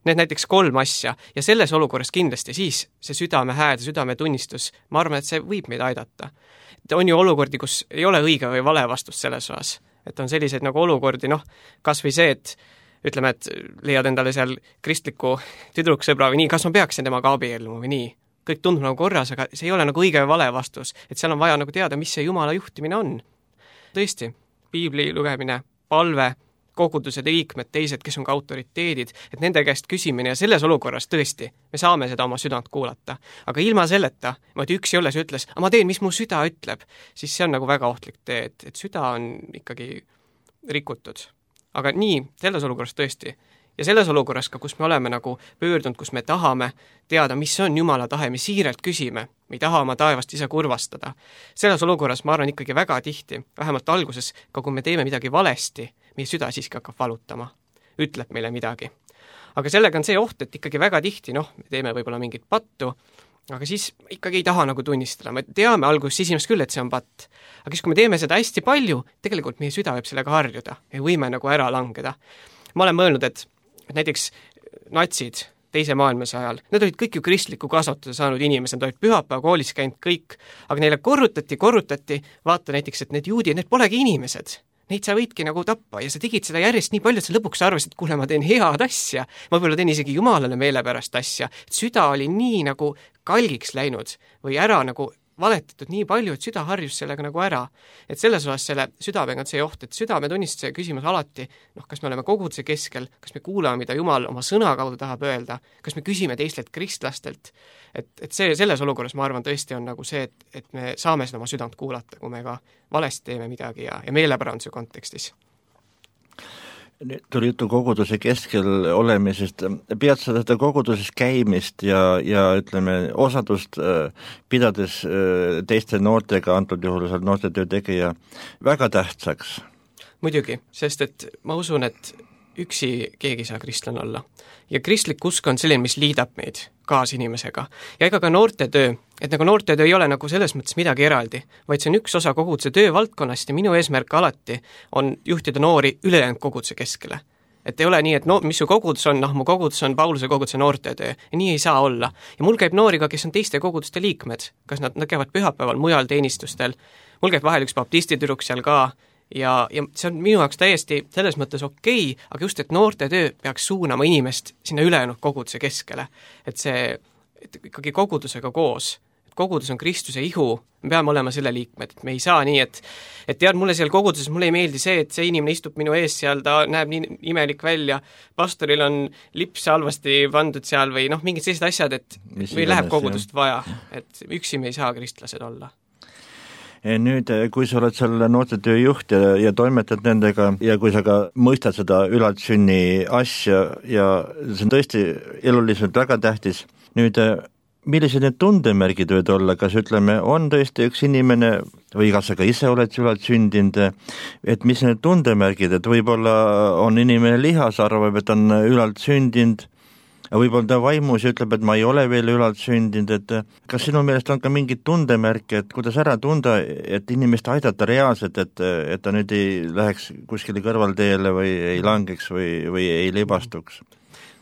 Need näiteks kolm asja ja selles olukorras kindlasti siis see südame hääl, südame tunnistus, ma arvan, et see võib meid aidata. Et on ju olukordi, kus ei ole õige või vale vastust selles osas. Et on selliseid nagu olukordi, noh, kas või see, et ütleme, et leiad endale seal kristliku tüdruksõbra või nii, kas ma peaksin temaga abielluma või nii. Kõik tundub nagu korras, aga see ei ole nagu õige või vale vastus, et seal on vaja nagu teada, mis see Jumala juhtimine on. Tõesti, piibli lugemine, palve, koguduse liikmed, teised, kes on ka autoriteedid, et nende käest küsimine ja selles olukorras tõesti, me saame seda oma südant kuulata. Aga ilma selleta, et üks jolles ütles, aga ma teen, mis mu süda ütleb, siis see on nagu väga ohtlik tee, et, et süda on ikkagi rikutud. Aga nii, selles olukorras tõesti. Ja selles olukorras ka, kus me oleme nagu pöördunud, kus me tahame teada, mis on Jumala tahe, me siiralt küsime, me ei taha oma taevast ise kurvastada. Selles olukorras ma arvan ikkagi väga tihti, vähemalt alguses, ka kui me teeme midagi valesti, meie süda siiski hakkab valutama, ütleb meile midagi. Aga sellega on see oht, et ikkagi väga tihti, noh, me teeme võib-olla mingit pattu, aga siis ikkagi ei taha nagu tunnistada. Me teame alguses esimest küll, et see on patt. Aga siis, kui me teeme seda hästi palju, tegelikult meie süda võib sellega harjuda ja võime nagu ära langeda. Ma olen mõelnud, et et näiteks natsid teise maailmasõja ajal, need olid kõik ju kristliku kasvatuse saanud inimesed, nad olid pühapäeva koolis käinud kõik, aga neile korrutati, korrutati, vaata näiteks, et need juudid, need polegi inimesed, neid sa võidki nagu tappa ja sa tegid seda järjest nii palju, et sa lõpuks arvasid, et kuule, ma teen head asja, ma võib-olla teen isegi Jumalale meelepärast asja, et süda oli nii nagu kalgiks läinud või ära nagu valetatud nii palju, et süda harjus sellega nagu ära. Et selles osas selle südamega on see oht, et südametunnistuse küsimus alati, noh, kas me oleme koguduse keskel, kas me kuulame, mida Jumal oma sõna kaudu tahab öelda, kas me küsime teistelt kristlastelt, et, et see, selles olukorras ma arvan tõesti on nagu see, et, et me saame seda oma südant kuulata, kui me ka valesti teeme midagi ja, ja meeleparanduse kontekstis. nüüd tuli juttu koguduse keskel olemisest, pead sa seda koguduses käimist ja, ja ütleme, osadust pidades teiste noortega, antud juhul seal noortetöö tegija, väga tähtsaks? Muidugi, sest et ma usun, et üksi keegi saa kristlane olla. Ja kristlik usk on selline, mis liidab meid kaasinimesega. Ja ega ka noortetöö, et nagu noortetöö ei ole nagu selles mõttes midagi eraldi, vaid see on üks osa koguduse töövaldkonnast ja minu eesmärk alati on juhtida noori ülejäänud koguduse keskele. Et ei ole nii, et no, mis su kogudus on, noh, mu kogudus on Pauluse koguduse noortetöö ja nii ei saa olla. Ja mul käib noori ka, kes on teiste koguduste liikmed, kas nad, nad käivad pühapäeval mujal teenistustel, mul käib vahel üks baptistitüdruk seal ka, ja, ja see on minu jaoks täiesti selles mõttes okei, aga just, et noortetöö peaks suunama inimest sinna ülejäänud koguduse keskele. Et see, et ikkagi kogudusega koos, et kogudus on Kristuse ihu, me peame olema selle liikmed, et me ei saa nii, et et tead, mulle seal koguduses, mulle ei meeldi see, et see inimene istub minu ees seal, ta näeb nii imelik välja, pastoril on lips halvasti pandud seal või noh, mingid sellised asjad, et Mis või läheb iganes, kogudust vaja, et üksi me ei saa kristlased olla. Nüüd, kui sa oled seal noortetöö juht ja, ja toimetad nendega ja kui sa ka mõistad seda ülaltsünni asja ja see on tõesti eluliselt väga tähtis, nüüd millised need tundemärgid võid olla, kas ütleme, on tõesti üks inimene või kas sa ka ise oled ülaltsündinud, et mis need tundemärgid, et võib-olla on inimene lihas, arvab, et on ülaltsündinud, võib-olla ta vaimus ja ütleb, et ma ei ole veel ülalt sündinud, et kas sinu meelest on ka mingid tundemärke, et kuidas ära tunda, et inimest aidata reaalselt, et, et ta nüüd ei läheks kuskile kõrvalteele või ei langeks või, või ei libastuks?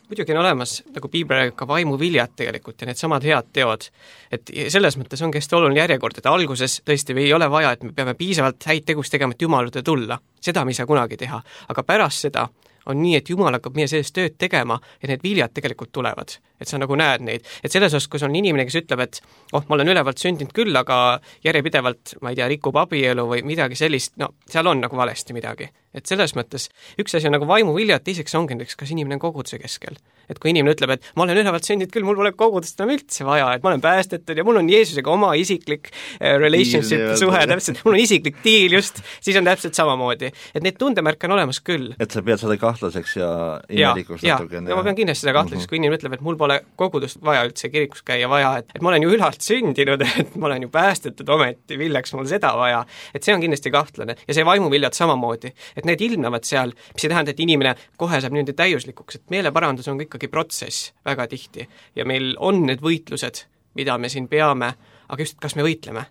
Muidugi on olemas, nagu piibel räägib, ka vaimuviljad tegelikult ja need samad head teod. Et selles mõttes on hästi oluline järjekord, et alguses tõesti ei ole vaja, et me peame piisavalt häid tegus tegema, et Jumalade tulla. Seda me ei saa kunagi teha, aga pärast seda on nii, et Jumal hakkab meie sellest tööd tegema ja need viljad tegelikult tulevad. Et sa nagu näed neid. Et selles osas, kus on inimene, kes ütleb, et oh, ma olen ülevalt sündinud küll, aga järjepidevalt, ma ei tea, rikub abielu või midagi sellist, no seal on nagu valesti midagi. Et selles mõttes üks asi on nagu vaimuviljad, teiseks ongi näiteks, kas inimene on koguduse keskel. Et kui inimene ütleb, et ma olen ülevalt sündinud küll, mul pole kogudust enam üldse vaja, et ma olen päästetud ja mul on Jeesusega oma isiklik uh, relationship Diil, suhe, täpselt, mul on isiklik diil just, siis on täpselt samamoodi. Et neid tundemärke on olemas küll. Et sa pead seda kahtlaseks ja imelikuks ja, natuke. Ja, ja ma pean kindlasti seda kahtlaseks, uh-huh. kui inimene ütleb, et mul pole kogudust vaja üldse kirikus käia vaja, et, et ma olen ju ülalt sündinud, et ma olen ju päästetud ometi, villaks mul seda vaja. Et see on kindlasti kahtlane ja see vaimuviljad samamoodi, et need ilmnevad seal, mis ei tähenda, et inimene kohe saab niimoodi täiuslikuks, et meeleparandus on ikkagi protsess väga tihti ja meil on need võitlused, mida me siin peame, aga just, kas me võitleme.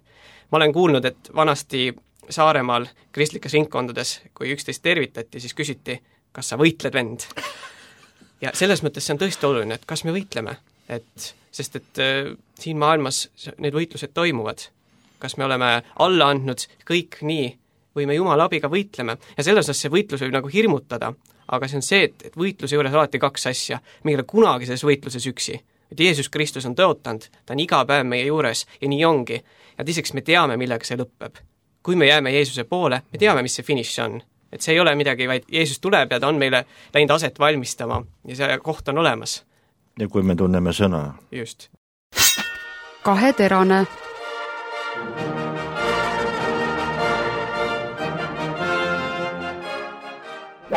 Ma olen kuulnud, et vanasti Saaremaal kristlikes ringkondades, kui üksteist tervitati, siis küsiti, kas sa võitled, vend? Ja selles mõttes see on tõesti oluline, et kas me võitleme, et, sest et äh, siin maailmas need võitlused toimuvad. Kas me oleme alla andnud kõik nii, või me Jumala abiga võitleme ja selles osas see võitlus võib nagu hirmutada, aga see on see, et, et võitluse juures alati kaks asja, me ei ole kunagi selles võitluses üksi. Et Jeesus Kristus on tõotanud, ta on iga päev meie juures ja nii ongi. Ja teiseks me teame, millega see lõpeb. Kui me jääme Jeesuse poole, me teame, mis see finiš on. Et see ei ole midagi, vaid Jeesus tuleb ja ta on meile läinud aset valmistama ja see koht on olemas. Ja kui me tunneme sõna. Just. Kaheterane.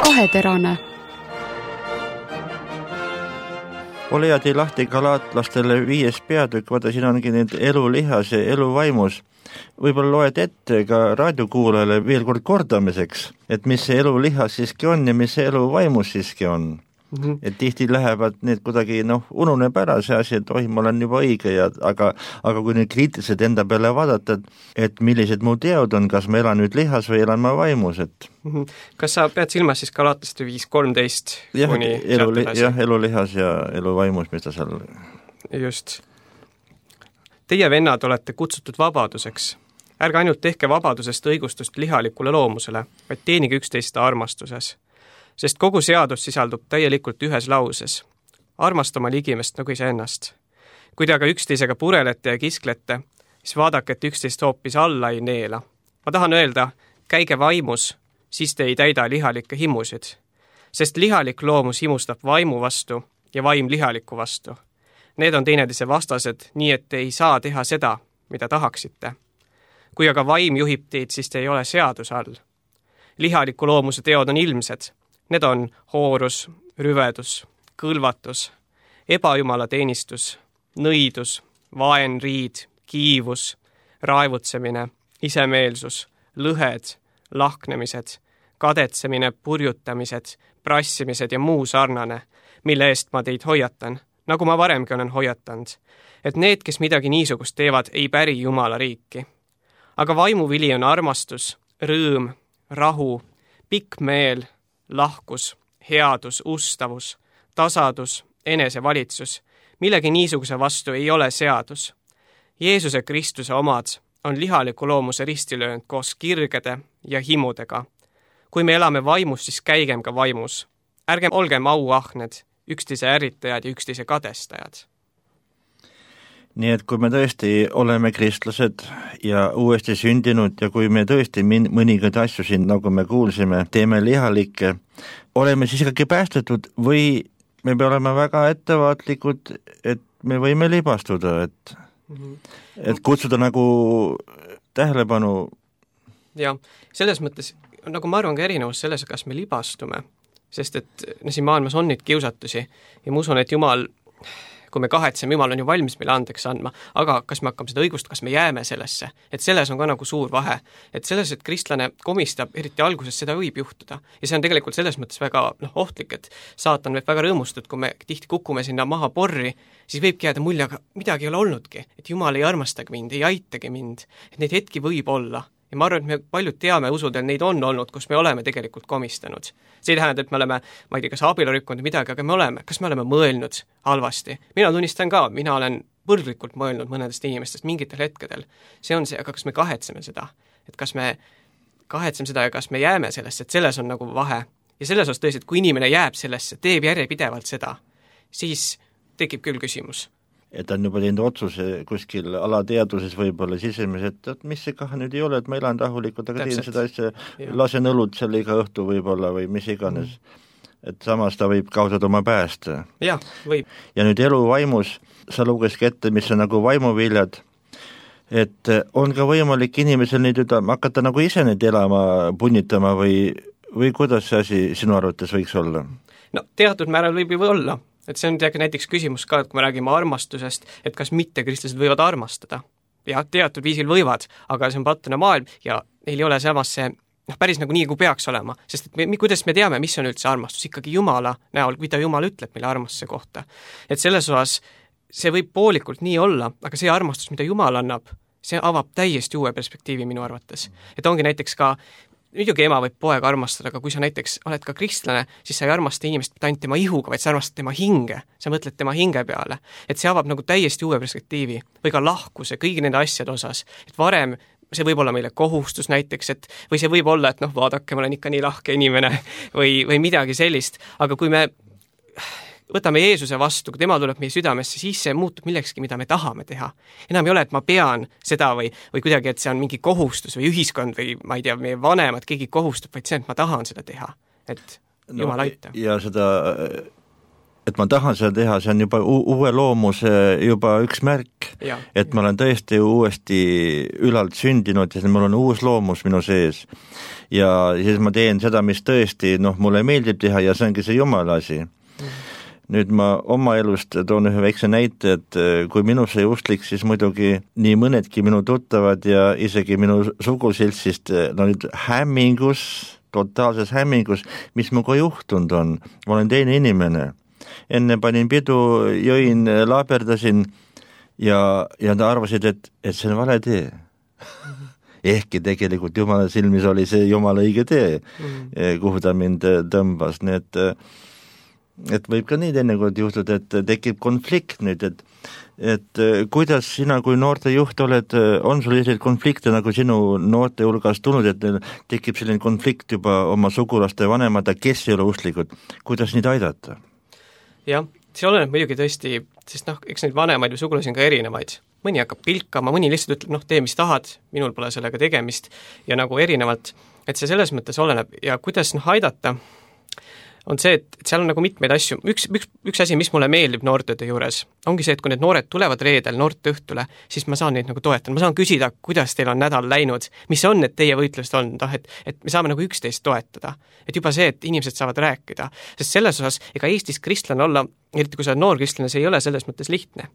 Kaheterane. Ole ja tei lahti galaatlastele viies peatükk, vaata siin ongi need elu lihas ja elu vaimus. Võib-olla loed ette ka raadiokuulajale veel kord kordamiseks, et mis see elu lihas siiski on ja mis see elu vaimus siiski on. Mm-hmm. Et tihti lähevad need kuidagi, noh, ununeb ära see asi, et oi, ma olen juba õige, ja, aga, aga kui nüüd kriitiliselt enda peale vaadata, et, et millised mu teod on, kas ma elan nüüd lihas või elan ma vaimus, et mm-hmm. Kas sa pead silmas siis Galatlaste viis kolmteist jah, kuni elu, jah, elu lihas ja elu vaimus, mis ta seal just. Teie vennad olete kutsutud vabaduseks. Ärge ainult tehke vabadusest õigustust lihalikule loomusele, vaid teenige üksteist armastuses. Sest kogu seadus sisaldub täielikult ühes lauses. Armasta oma ligimest nagu iseennast. Kui te aga üksteisega purelete ja kisklete, siis vaadake, et üksteist hoopis alla ei neela. Ma tahan öelda, käige vaimus, siis te ei täida lihalikke himusid. Sest lihalik loomus himustab vaimu vastu ja vaim lihaliku vastu. Need on teineteise vastased, nii et te ei saa teha seda, mida tahaksite. Kui aga vaim juhib teid, siis te ei ole seaduse all. Lihaliku loomuse teod on ilmsed. Need on hoorus, rüvedus, kõlvatus, ebajumalateenistus, nõidus, vaenriid, kiivus, raevutsemine, isemeelsus, lõhed, lahknemised, kadetsemine, purjutamised, prassimised ja muu sarnane, mille eest ma teid hoiatan, nagu ma varemgi olen hoiatanud, et need, kes midagi niisugust teevad, ei päri Jumala riiki. Aga vaimuvili on armastus, rõõm, rahu, pikk meel, lahkus, headus, ustavus, tasadus, enesevalitsus, millegi niisuguse vastu ei ole seadus. Jeesuse Kristuse omad on lihaliku loomuse ristilöönud koos kirgede ja himudega. Kui me elame vaimus, siis käigem ka vaimus. Ärgem olgem auahned, üksteise ärritajad ja üksteise kadestajad. Nii et kui me tõesti oleme kristlased ja uuesti sündinud ja kui me tõesti min- mõningaid asju siin, nagu me kuulsime, teeme lihalikke, oleme siis ikkagi päästetud või me peame olema väga ettevaatlikud, et me võime libastuda, et, mm-hmm. et kutsuda nagu tähelepanu. Ja selles mõttes, nagu ma arvan ka erinevus selles, kas me libastume, sest et no, siin maailmas on neid kiusatusi ja ma usun, et Jumal, kui me kahetseme, Jumal on ju valmis meile andeks andma, aga kas me hakkame seda õigust, kas me jääme sellesse, et selles on ka nagu suur vahe, et selles, et kristlane komistab, eriti alguses seda võib juhtuda ja see on tegelikult selles mõttes väga noh, ohtlik, et saatan võib väga rõõmustada, kui me tihti kukume sinna maha porri, siis võibki jääda mulje, aga midagi ei ole olnudki, et Jumal ei armastagi mind, ei aitagi mind, et neid hetki võib olla. Ja ma arvan, et me paljud teame usudel, neid on olnud, kus me oleme tegelikult komistanud. See ei tähenda, et me oleme, ma ei tea, kas abielu rikkunud midagi, aga me oleme, kas me oleme mõelnud halvasti. Mina tunnistan ka, mina olen põrglikult mõelnud mõnedest inimestest mingitel hetkedel. See on see, aga kas me kahetseme seda? Et kas me kahetseme seda ja kas me jääme sellesse, et selles on nagu vahe. Ja selles osas tõesti, et kui inimene jääb sellesse, teeb järjepidevalt seda, siis tekib küll küsimus. Et on juba teinud otsuse kuskil alateaduses võib-olla sisemiselt, et mis see kah nüüd ei ole, et ma elan rahulikult, aga teen seda asja, lasen õlut selle iga õhtu võib-olla või mis iganes. Mm. Et samas ta võib kaotada oma päästa. Ja, võib. Ja nüüd elu vaimus, sa lugeski ette, mis on nagu vaimuviljad, et on ka võimalik inimesel neid hakata nagu ise neid elama, punnitama või, või kuidas see asi sinu arvates võiks olla? No teatud määral võib ju olla. Et see on näiteks küsimus ka, et kui me räägime armastusest, et kas mittekristlased võivad armastada. Ja teatud viisil võivad, aga see on pattune maailm ja neil ei ole samas see noh, päris nagu nii, kui peaks olema. Sest et me, kuidas me teame, mis on üldse armastus? Ikkagi Jumala näol, mida Jumal ütleb meile armastuse kohta. Et selles osas see võib poolikult nii olla, aga see armastus, mida Jumal annab, see avab täiesti uue perspektiivi minu arvates. Et ongi näiteks ka muidugi ema võib poega armastada, aga kui sa näiteks oled ka kristlane, siis sa ei armasta inimest mitte ainult tema ihuga, vaid sa armastad tema hinge, sa mõtled tema hinge peale. Et see avab nagu täiesti uue perspektiivi või ka lahkuse kõigi nende asjade osas. Et varem see võib olla meile kohustus näiteks, et, või see võib olla, et noh, vaadake, ma olen ikka nii lahke inimene või, või midagi sellist, aga kui me võtame Jeesuse vastu, kui tema tuleb meie südamesse, siis see muutub millekski, mida me tahame teha. Enam ei ole, et ma pean seda või, või kuidagi, et see on mingi kohustus või ühiskond või ma ei tea, meie vanemad, keegi kohustub, vaid see, et ma tahan seda teha. Et Jumal aita. No, ja seda, et ma tahan seda teha, see on juba u- uue loomuse juba üks märk, ja, et ja. Ma olen tõesti uuesti ülalt sündinud ja mul on uus loomus minu sees. Ja siis ma teen seda, mis tõesti, noh, mulle meeldib teha ja see ongi see Jumala asi. Mm. Nüüd ma oma elust toon ühe väikse näite, et kui minusse justlik, siis muidugi nii mõnedki minu tuttavad ja isegi minu suguseltsist no nüüd hämmingus, totaalses hämmingus, mis minuga juhtunud on. Ma olen teine inimene. Enne panin pidu, jõin, laaberdasin ja, ja ta arvasid, et, et see on vale tee. Ehkki tegelikult Jumala silmis oli see Jumala õige tee, mm. kuhu ta mind tõmbas. Nii et et võib ka nii teinekord juhtuda, et tekib konflikt nüüd, et, et kuidas sina kui noorte juht oled, on sul selliseid konflikte nagu sinu noorte hulgas tulnud, et tekib selline konflikt juba oma sugulaste vanemad, kes ei ole usklikud, kuidas neid aidata? Jah, see oleneb muidugi tõesti, sest noh, eks neid vanemaid või sugulasi on ka erinevaid. Mõni hakkab pilkama, mõni lihtsalt ütleb, noh, tee mis tahad, minul pole sellega tegemist ja nagu erinevalt, et see selles mõttes oleneb ja kuidas noh aidata. on see, et seal on nagu mitmeid asju. Üks, üks, üks asi, mis mulle meeldib noortetöö juures, ongi see, et kui need noored tulevad reedel noorte õhtule, siis ma saan neid nagu toetada. Ma saan küsida, kuidas teil on nädal läinud, mis on need teie võitlused olnud, et, et me saame nagu üksteist toetada. Et juba see, et inimesed saavad rääkida. Sest selles osas, ega Eestis kristlane olla, eriti kui sa oled noor kristlane, see ei ole selles mõttes lihtne.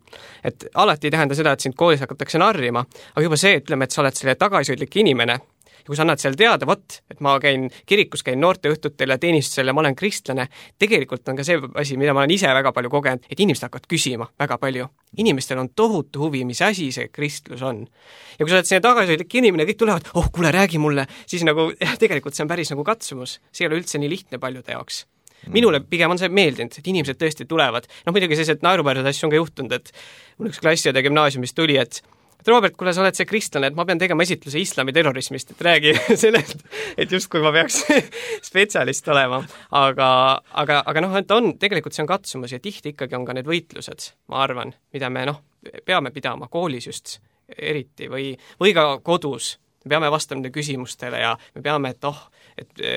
Et alati ei tähenda seda, et sind koolis hakatakse narrima, aga juba see, ütleme, et sa oled selle tagasihoidlik inimene, ja kui sa annad seal teada, vot, et ma käin kirikus, käin noorte õhtutel ja teenistusel ja ma olen kristlane, tegelikult on ka see asi, mida ma olen ise väga palju kogenud, et inimesed hakkavad küsima väga palju. Inimestel on tohutu huvi, mis asi see kristlus on. Ja kui sa oled sinna tagasihoidlik inimene, kõik tulevad, oh, kuule, räägi mulle, siis nagu, jah, tegelikult see on päris nagu katsumus. See ei ole üldse nii lihtne paljude jaoks. Minule pigem on see meeldinud, et inimesed tõesti tulevad. Noh, muidugi sellised naeruväärseid asju on ka juhtunud, et mul üks klassiõde gümnaasiumis tuli, et Robert, kuule, sa oled see kristlane, et ma pean tegema esitluse islami terrorismist, et räägi sellest, et just kui ma peaks spetsialist olema. Aga, aga, aga noh, et on, tegelikult see on katsumus ja tihti ikkagi on ka need võitlused, ma arvan, mida me noh, peame pidama koolis just eriti või, või ka kodus. Me peame vastama nende küsimustele ja me peame, et oh, et e,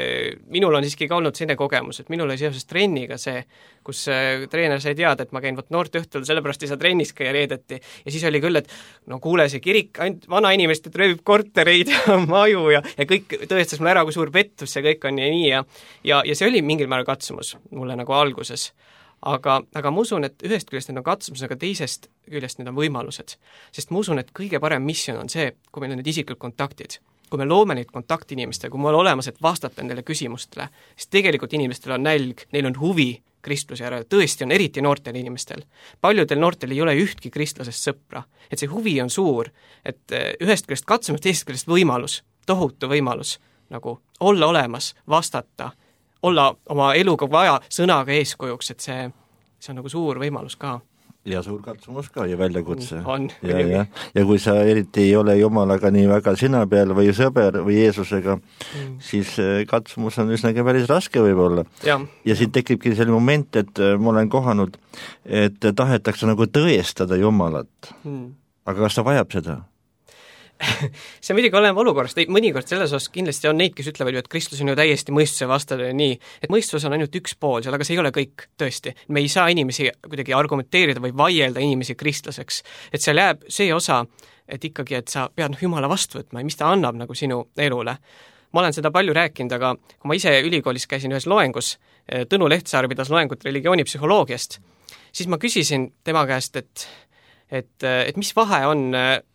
minul on siiski ka olnud selline kogemus, et minul oli seoses trenniga see, kus e, treener sai teada, et ma käin võt noorte õhtul, sellepärast ei saa trennis käia reedeti. Ja siis oli küll, et no kuule, see kirik ainult vana inimest, et röövib kortereid ja maju ja, ja kõik tõestas mulle ära, kui suur pettus see kõik on ja nii ja, ja, ja see oli mingil määral katsumus mulle nagu alguses. Aga, aga ma usun, et ühest küljest need on katsumus, aga teisest küljest need on võimalused. Sest ma usun, et kõige parem missioon on see, kui meil on need isiklikud kontaktid. Kui me loome neid kontaktinimestele, kui me oleme olemas, et vastata nendele küsimustele, siis tegelikult inimestel on nälg, neil on huvi kristluse järele, tõesti on eriti noortel inimestel. Paljudel noortel ei ole ühtki kristlasest sõpra, et see huvi on suur, et ühest küljest katsumus, teisest küljest võimalus, tohutu võimalus, nagu olla olemas, vastata, olla oma eluga vaja sõnaga eeskujuks, et see, see on nagu suur võimalus ka. Ja suur katsumus ka ja väljakutse. On. Ja, ja. ja kui sa eriti ei ole Jumalaga nii väga sina peal või sõber või Jeesusega, mm. siis katsumus on üsnagi päris raske võib-olla. Ja, ja siin tekibki selline moment, et ma olen kohanud, et tahetakse nagu tõestada Jumalat. Mm. Aga kas ta vajab seda? See muidugi oleneb olukorrast, mõnikord selles osas kindlasti on neid, kes ütlevad ju, et kristlus on ju täiesti mõistuse vastane ja nii, et mõistus on ainult üks pool seal, aga see ei ole kõik tõesti. Me ei saa inimesi kuidagi argumenteerida või vaielda inimesi kristlaseks, et seal jääb see osa, et ikkagi, et sa pead Jumala vastu võtma ja mis ta annab nagu sinu elule. Ma olen seda palju rääkinud, aga kui ma ise ülikoolis käisin ühes loengus, Tõnu Lehtsaar pidas loengut religioonipsühholoogiast, siis ma küsisin tema käest, et, et, et mis vahe on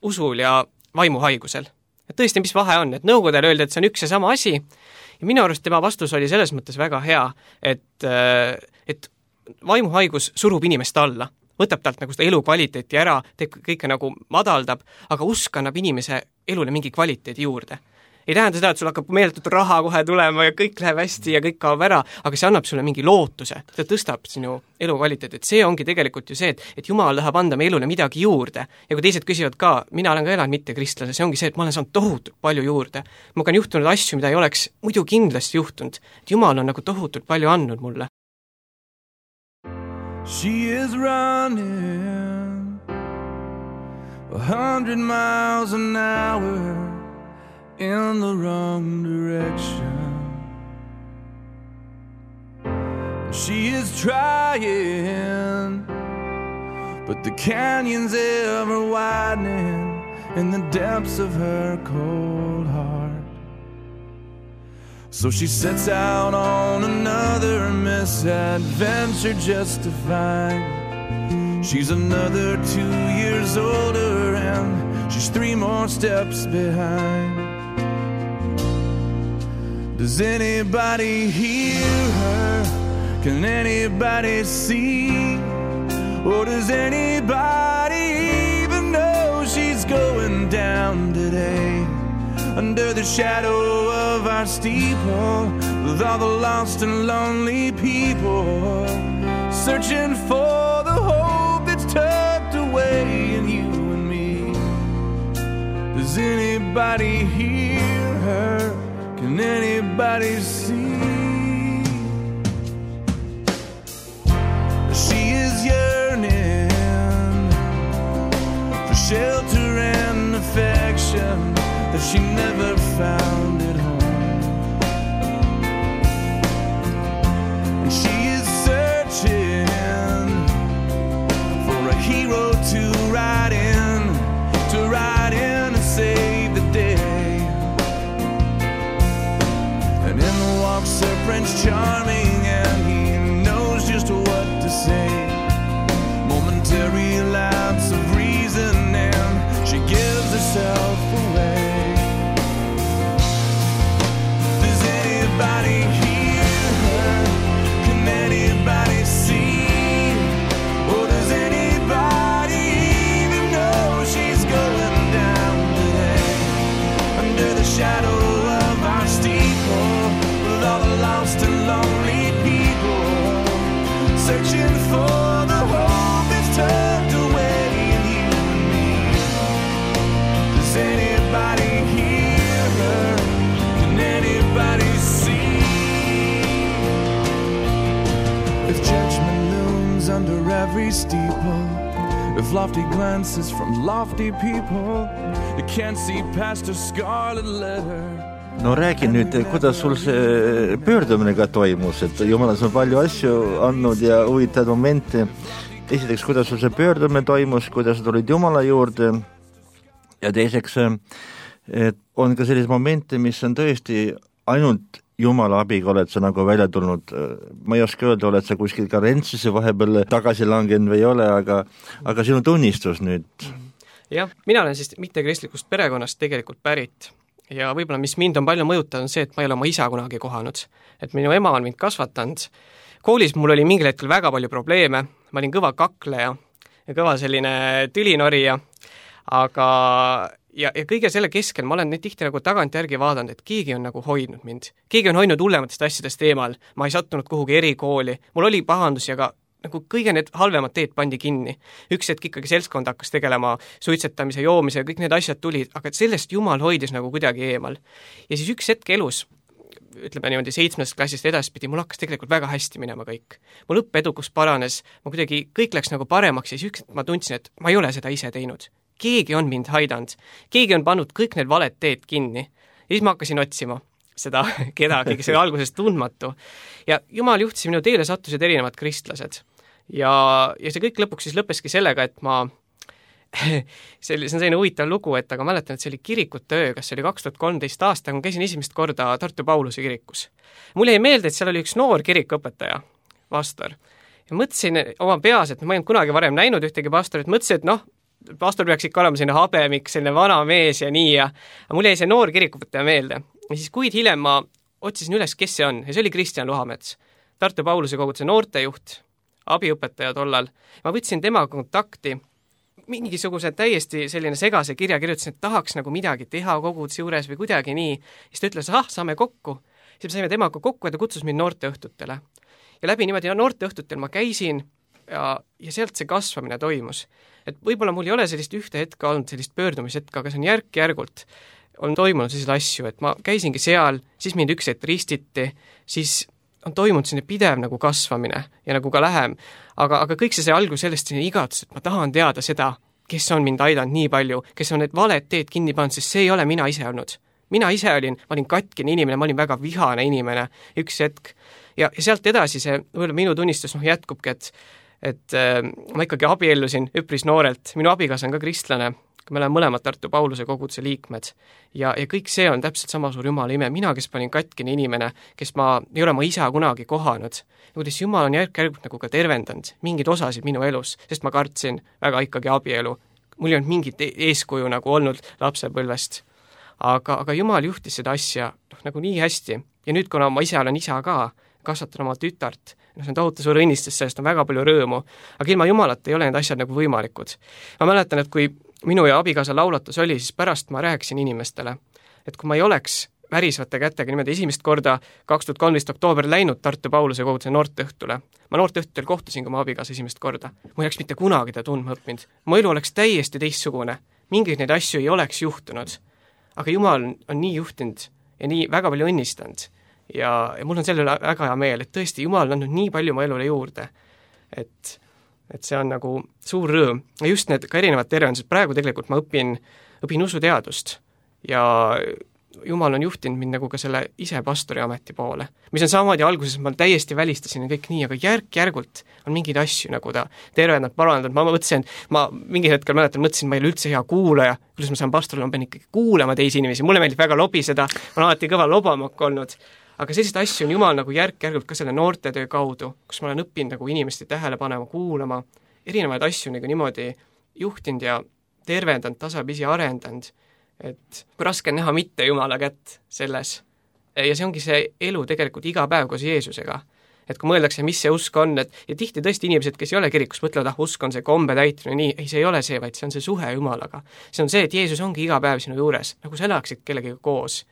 usul ja vaimuhaigusel. Et tõesti, mis vahe on, et nõukodel öeldi, et see on üks ja sama asi ja minu arust tema vastus oli selles mõttes väga hea, et, et vaimuhaigus surub inimest alla, võtab talt nagu seda elukvaliteeti ära, teeb kõike nagu madaldab, aga usk annab inimese elule mingi kvaliteedi juurde. Ei tähenda seda, et sul hakkab meeletut raha kohe tulema ja kõik läheb hästi ja kõik kaob ära, aga see annab sulle mingi lootuse, ta tõstab sinu elukvaliteet, et see ongi tegelikult ju see, et, et Jumal tahab anda meie elule midagi juurde ja kui teised küsivad ka, mina olen ka elanud mitte kristlane, see ongi see, et ma olen saanud tohutult palju juurde. Ma on juhtunud asju, mida ei oleks muidu kindlasti juhtunud, et Jumal on nagu tohutult palju andnud mulle. She is running a hundred miles an hour in the wrong direction. She is trying, but the canyon's ever widening in the depths of her cold heart. So she sets out on another misadventure just to find she's another two years older and she's three more steps behind. Does anybody hear her? Can anybody see? Or does anybody even know she's going down today? Under the shadow of our steeple, with all the lost and lonely people, searching for the hope that's tucked away in you and me. Does anybody hear her? Can anybody see? She is yearning for shelter and affection that she never found at home. And charming and he knows just what to say. Momentary lapse of reason and she gives herself away. Does anybody hear her? Can anybody see? Or does anybody even know she's going down today? Under the shadow of our steeple, with all the lost and lonely people, searching for the hope that's tucked away in you and me. Does anybody hear her? Can anybody see? If judgment looms under every steeple, if lofty glances from lofty people, you can't see past her scarlet letter. No räägi nüüd, kuidas sul see pöördumine ka toimus, et Jumalas on palju asju andnud ja huvitavad momente. Esiteks, kuidas sul see pöördumine toimus, kuidas sa tulid Jumala juurde ja teiseks, et on ka sellised momente, mis on tõesti ainult Jumala abiga oled sa nagu välja tulnud. Ma ei oska öelda, oled sa kuskil ka rentsisse vahepeal tagasi langenud või ei ole, aga, aga sinu tunnistus nüüd. Jah, mina olen siis mittekristlikust perekonnast tegelikult pärit. Ja võib-olla, mis mind on palju mõjutanud, on see, et ma ei ole oma isa kunagi kohanud. Et minu ema on mind kasvatanud. Koolis mul oli mingil hetkel väga palju probleeme, ma olin kõva kakleja ja kõva selline tülinorija, aga ja, ja kõige selle keskel ma olen nüüd tihti nagu tagantjärgi vaadanud, et keegi on nagu hoidnud mind. Keegi on hoidnud hullematest asjadest eemal, ma ei sattunud kuhugi erikooli, mul oli pahandusi, aga nagu kõige need halvemad teed pandi kinni. Üks hetk ikkagi seltskond hakkas tegelema suitsetamise, joomise ja kõik need asjad tulid, aga sellest Jumal hoidis nagu kuidagi eemal. Ja siis üks hetk elus, ütleme niimoodi seitsmest klassist edaspidi, mul hakkas tegelikult väga hästi minema kõik. Mul õppeedukus paranes, ma kuidagi kõik läks nagu paremaks ja siis üks hetk ma tundsin, et ma ei ole seda ise teinud. Keegi on mind haidanud, keegi on pannud kõik need valed teed kinni. Ja siis ma hakkasin otsima seda kedagi, kes oli alguses tundmatu. Ja Jumal juhtis minu teele sattusid erinevad kristlased. Ja, ja see kõik lõpuks siis lõppeski sellega, et ma see on selline huvitav lugu, et aga mäletan, et see oli kirikute öö, kas see oli kaks tuhat kolmteist aasta, kui ma käisin esimest korda Tartu Pauluse kirikus. Mul jäi meelde, et seal oli üks noor kirikuõpetaja, pastor. Ja mõtlesin oma peas, et ma ei olnud kunagi varem näinud ühtegi pastorit, mõtlesin, et noh, pastor peaks ikka olema selline habemik, selline vana mees ja nii ja mul jäi see noor kirikuõpetaja meelde. Ja siis kuid hiljem ma otsisin üles, kes see on ja see oli Kristjan Luhamets, Tartu Pauluse koguduse noortejuht, abiõpetaja tollal. Ma võtsin temaga kontakti, mingisuguse täiesti selline segase kirja kirjutasin, et tahaks nagu midagi teha koguduse juures või kuidagi nii. Siis ta ütles, ah, saame kokku. Siis me saime temaga kokku ja ta kutsus mind noorteõhtutele. Ja läbi niimoodi ja noorteõhtutel ma käisin ja, ja sealt see kasvamine toimus. Et võib-olla mul ei ole sellist ühte hetka olnud sellist pöördumishetka, aga see on järk-järgult on toimunud selliseid asju, et ma käisingi seal, siis mind üks hetk ristiti, siis on toimunud selline pidev nagu kasvamine ja nagu ka lähem, aga, aga kõik see, see algus sellest selline igatus, et ma tahan teada seda, kes on mind aidanud nii palju, kes on need valed teed kinni pannud, sest see ei ole mina ise olnud. Mina ise olin, ma olin katkine inimene, ma olin väga vihane inimene üks hetk ja, ja sealt edasi see, minu tunnistus noh, jätkubki, et, et äh, ma ikkagi abiellusin üpris noorelt, minu abikaasa on ka kristlane, me oleme mõlemad Tartu Pauluse koguduse liikmed ja, ja kõik see on täpselt sama suur Jumala ime, mina, kes ma olin katkine inimene, kes ma ei ole ma isa kunagi kohanud, ja kuidas Jumal on järk-järgult nagu ka tervendanud mingeid osasid minu elus, sest ma kartsin väga ikkagi abielu, mul ei olnud mingit eeskuju nagu olnud lapsepõlvest, aga, aga Jumal juhtis seda asja noh, nagu nii hästi ja nüüd, kuna ma ise olen isa ka, kasvatan oma tütart, no see on tohutu suur õnnistus, sellest on väga palju rõõmu, aga ilma Jumalata ei ole need asjad nagu võimalikud. Ma mäletan, et kui minu ja abikaasa laulatus oli, siis pärast ma rääkisin inimestele, et kui ma ei oleks värisvate kätega niimoodi esimest korda kaks tuhat kolmteist oktoober läinud Tartu Pauluse koguduse noorteõhtule, ma noorteõhtul kohtusin ka oma abikaasa esimest korda, ma ei oleks mitte kunagi ta tundma õppinud, mu elu oleks täiesti teistsugune, mingeid neid asju ei oleks juhtunud, aga Jumal on nii juhtinud ja nii väga palju õnnistanud ja, ja mul on selle üle väga hea meel, et tõesti Jumal on andnud nii palju mu elule juurde, et et see on nagu suur rõõm. Ja just need ka erinevad tervendused, praegu tegelikult ma õpin, õpin usuteadust ja Jumal on juhtinud mind nagu ka selle ise pastori ameti poole, mis on samamoodi alguses, ma täiesti välistasin kõik nii, aga järk-järgult on mingeid asju nagu ta tervendanud, parandanud, ma mõtlesin, ma mingi hetkel mäletan, mõtlesin, ma ei ole üldse hea kuulaja, kuidas ma saan pastoril, ma pean ikkagi kuulama teisi inimesi, mulle meeldib väga lobiseda, ma olen alati kõva lobamak olnud, aga selliseid asju on Jumal nagu järk-järgult ka selle noortetöö kaudu, kus ma olen õppinud nagu inimeste tähele panema, kuulama, erinevaid asju nagu niimoodi juhtinud ja tervendanud, tasapisi arendanud, et kui raske on näha mitte Jumala kätt selles. Ja see ongi see elu tegelikult iga päev koos Jeesusega. Et kui mõeldakse, mis see usk on, et ja tihti tõesti inimesed, kes ei ole kirikus, mõtlevad, ah, usk on see kombe täitmine, nii, ei, see ei ole see, vaid see on see suhe Jumalaga. See on see, et Jeesus ongi iga päev sinu juures, nagu sa elaksid kellegiga koos.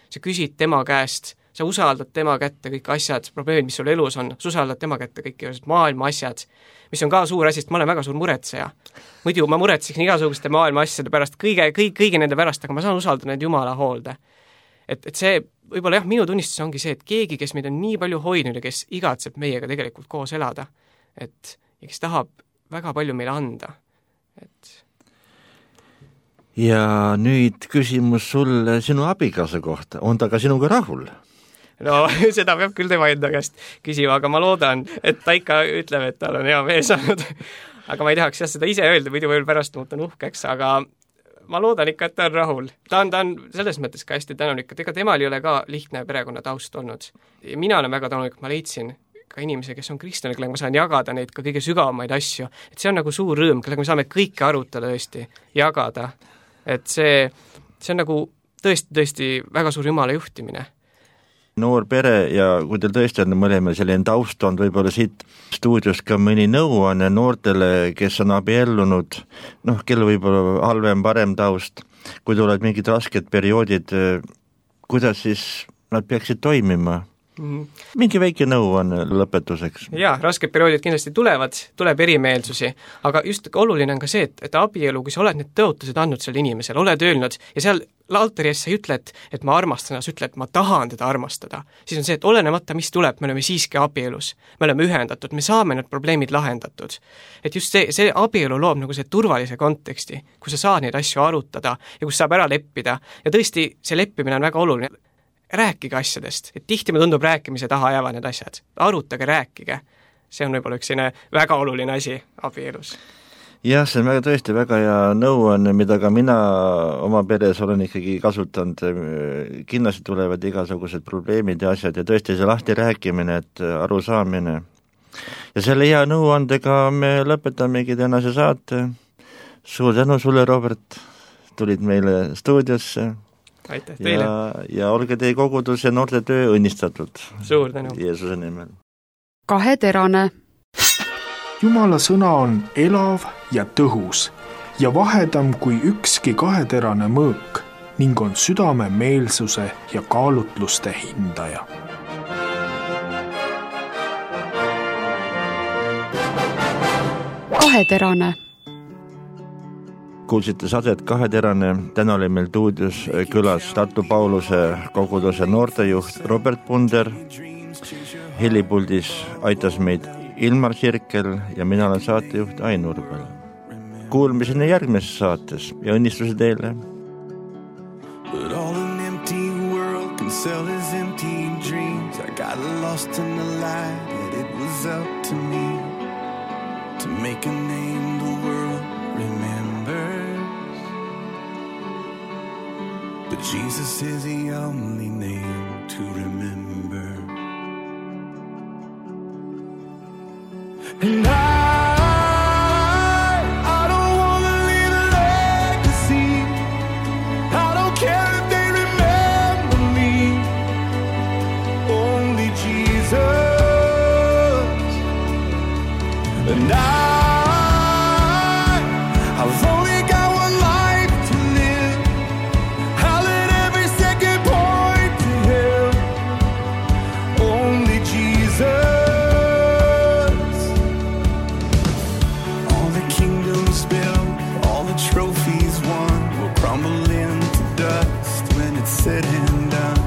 Sa küsid tema käest, sa usaldad tema kätte kõik asjad, probleemid, mis sul elus on, sa usaldad tema kätte kõik maailma asjad, mis on ka suur asi, sest ma olen väga suur muretseja. Muidu ma muretseksin igasuguste maailma asjade pärast, kõige, kõige, kõige nende pärast, aga ma saan usaldada need Jumala hoolde. Et, et see, võib-olla jah, minu tunnistus ongi see, et keegi, kes meid on nii palju hoidnud ja kes igatseb meiega tegelikult koos elada, et ja kes tahab väga palju meile anda. Et ja nüüd küsimus sulle sinu abikaasa kohta. On ta ka sinuga rahul? No, seda peab küll tema enda käest küsima, aga ma loodan, et ta ikka ütleb, et tal on hea mees olnud. Aga ma ei tahaks jah seda ise öelda, muidu veel pärast muutan uhkeks, aga ma loodan ikka, et ta on rahul. Ta on, ta on selles mõttes ka hästi tänulik, et ega temal ei ole ka lihtne perekonna taust olnud. Ja mina olen väga tänulik, ma leidsin ka inimese, kes on kristlane, kellega ma saan jagada neid ka kõige sügavamaid asju. Et see on nagu suur rõõm, kellega me saame kõike arutada tõesti, jagada. Et see, see on nagu tõesti, tõesti väga suur Jumala juhtimine. Noor pere ja kui teil tõesti on mõlema selline taust on, võib-olla siit stuudios ka mõni nõuanne noortele, kes on abiellunud, noh, kel võib-olla halvem, parem taust, kui tulevad mingid rasked perioodid, kuidas siis nad peaksid toimima? Mm-hmm. Mingi väike nõuanne lõpetuseks. Jaa, rasked perioodid kindlasti tulevad, tuleb erimeelsusi, aga just oluline on ka see, et, et abielu, kui sa oled need tõotused andnud selle inimesele, oled öelnud ja seal altari ees sa ei ütle, et, et ma armastan, sa ütle, et ma tahan teda armastada. Siis on see, et olenemata, mis tuleb, me oleme siiski abielus. Me oleme ühendatud, me saame need probleemid lahendatud. Et just see, see abielu loob nagu see turvalise konteksti, kus sa saad neid asju arutada ja kus saab ära leppida. Ja tõesti, see leppimine on väga oluline. Rääkige asjadest, et tihti me tundub rääkimise taha jäävad need asjad. Arutage, rääkige. See on võib-olla üks väga oluline asi abielus. Jah, see on väga tõesti väga hea nõuanne, mida ka mina oma peres olen ikkagi kasutanud. Kindlasti tulevad igasugused probleemid ja asjad ja tõesti see lahti rääkimine, et aru saamine. Ja selle hea nõuandega me lõpetamegi tänase saate. Suur tänu sulle, Robert, tulid meile stuudiosse. Aitäh teile. Ja, ja olge teie kogudus ja noorte töö õnnistatud. Suur tänu. Jeesuse nimel. Kaheterane. Jumala sõna on elav ja tõhus ja vahedam kui ükski kaheterane mõõk ning on südame meelsuse ja kaalutluste hindaja. Kaheterane. Kuulsite sadet Kaheterane, täna oli meil stuudios külas Tartu Pauluse koguduse noortejuht Robert Punder, helipuldis aitas meid Ilmar Sirkel ja mina olen saatejuht Ain Urbel. Kuulmiseni järgmises saates ja õnnistusi teile. But all an empty world can sell his empty dreams. I got lost in the light that it was up to me to make a name the world remembers. But Jesus is the only name to remember. And I, I don't want to leave a legacy. I don't care if they remember me. Only Jesus. And I, I've only got one life to live. I'll let every second point to Him. Only Jesus. Trophies won will crumble into dust when it's said and done.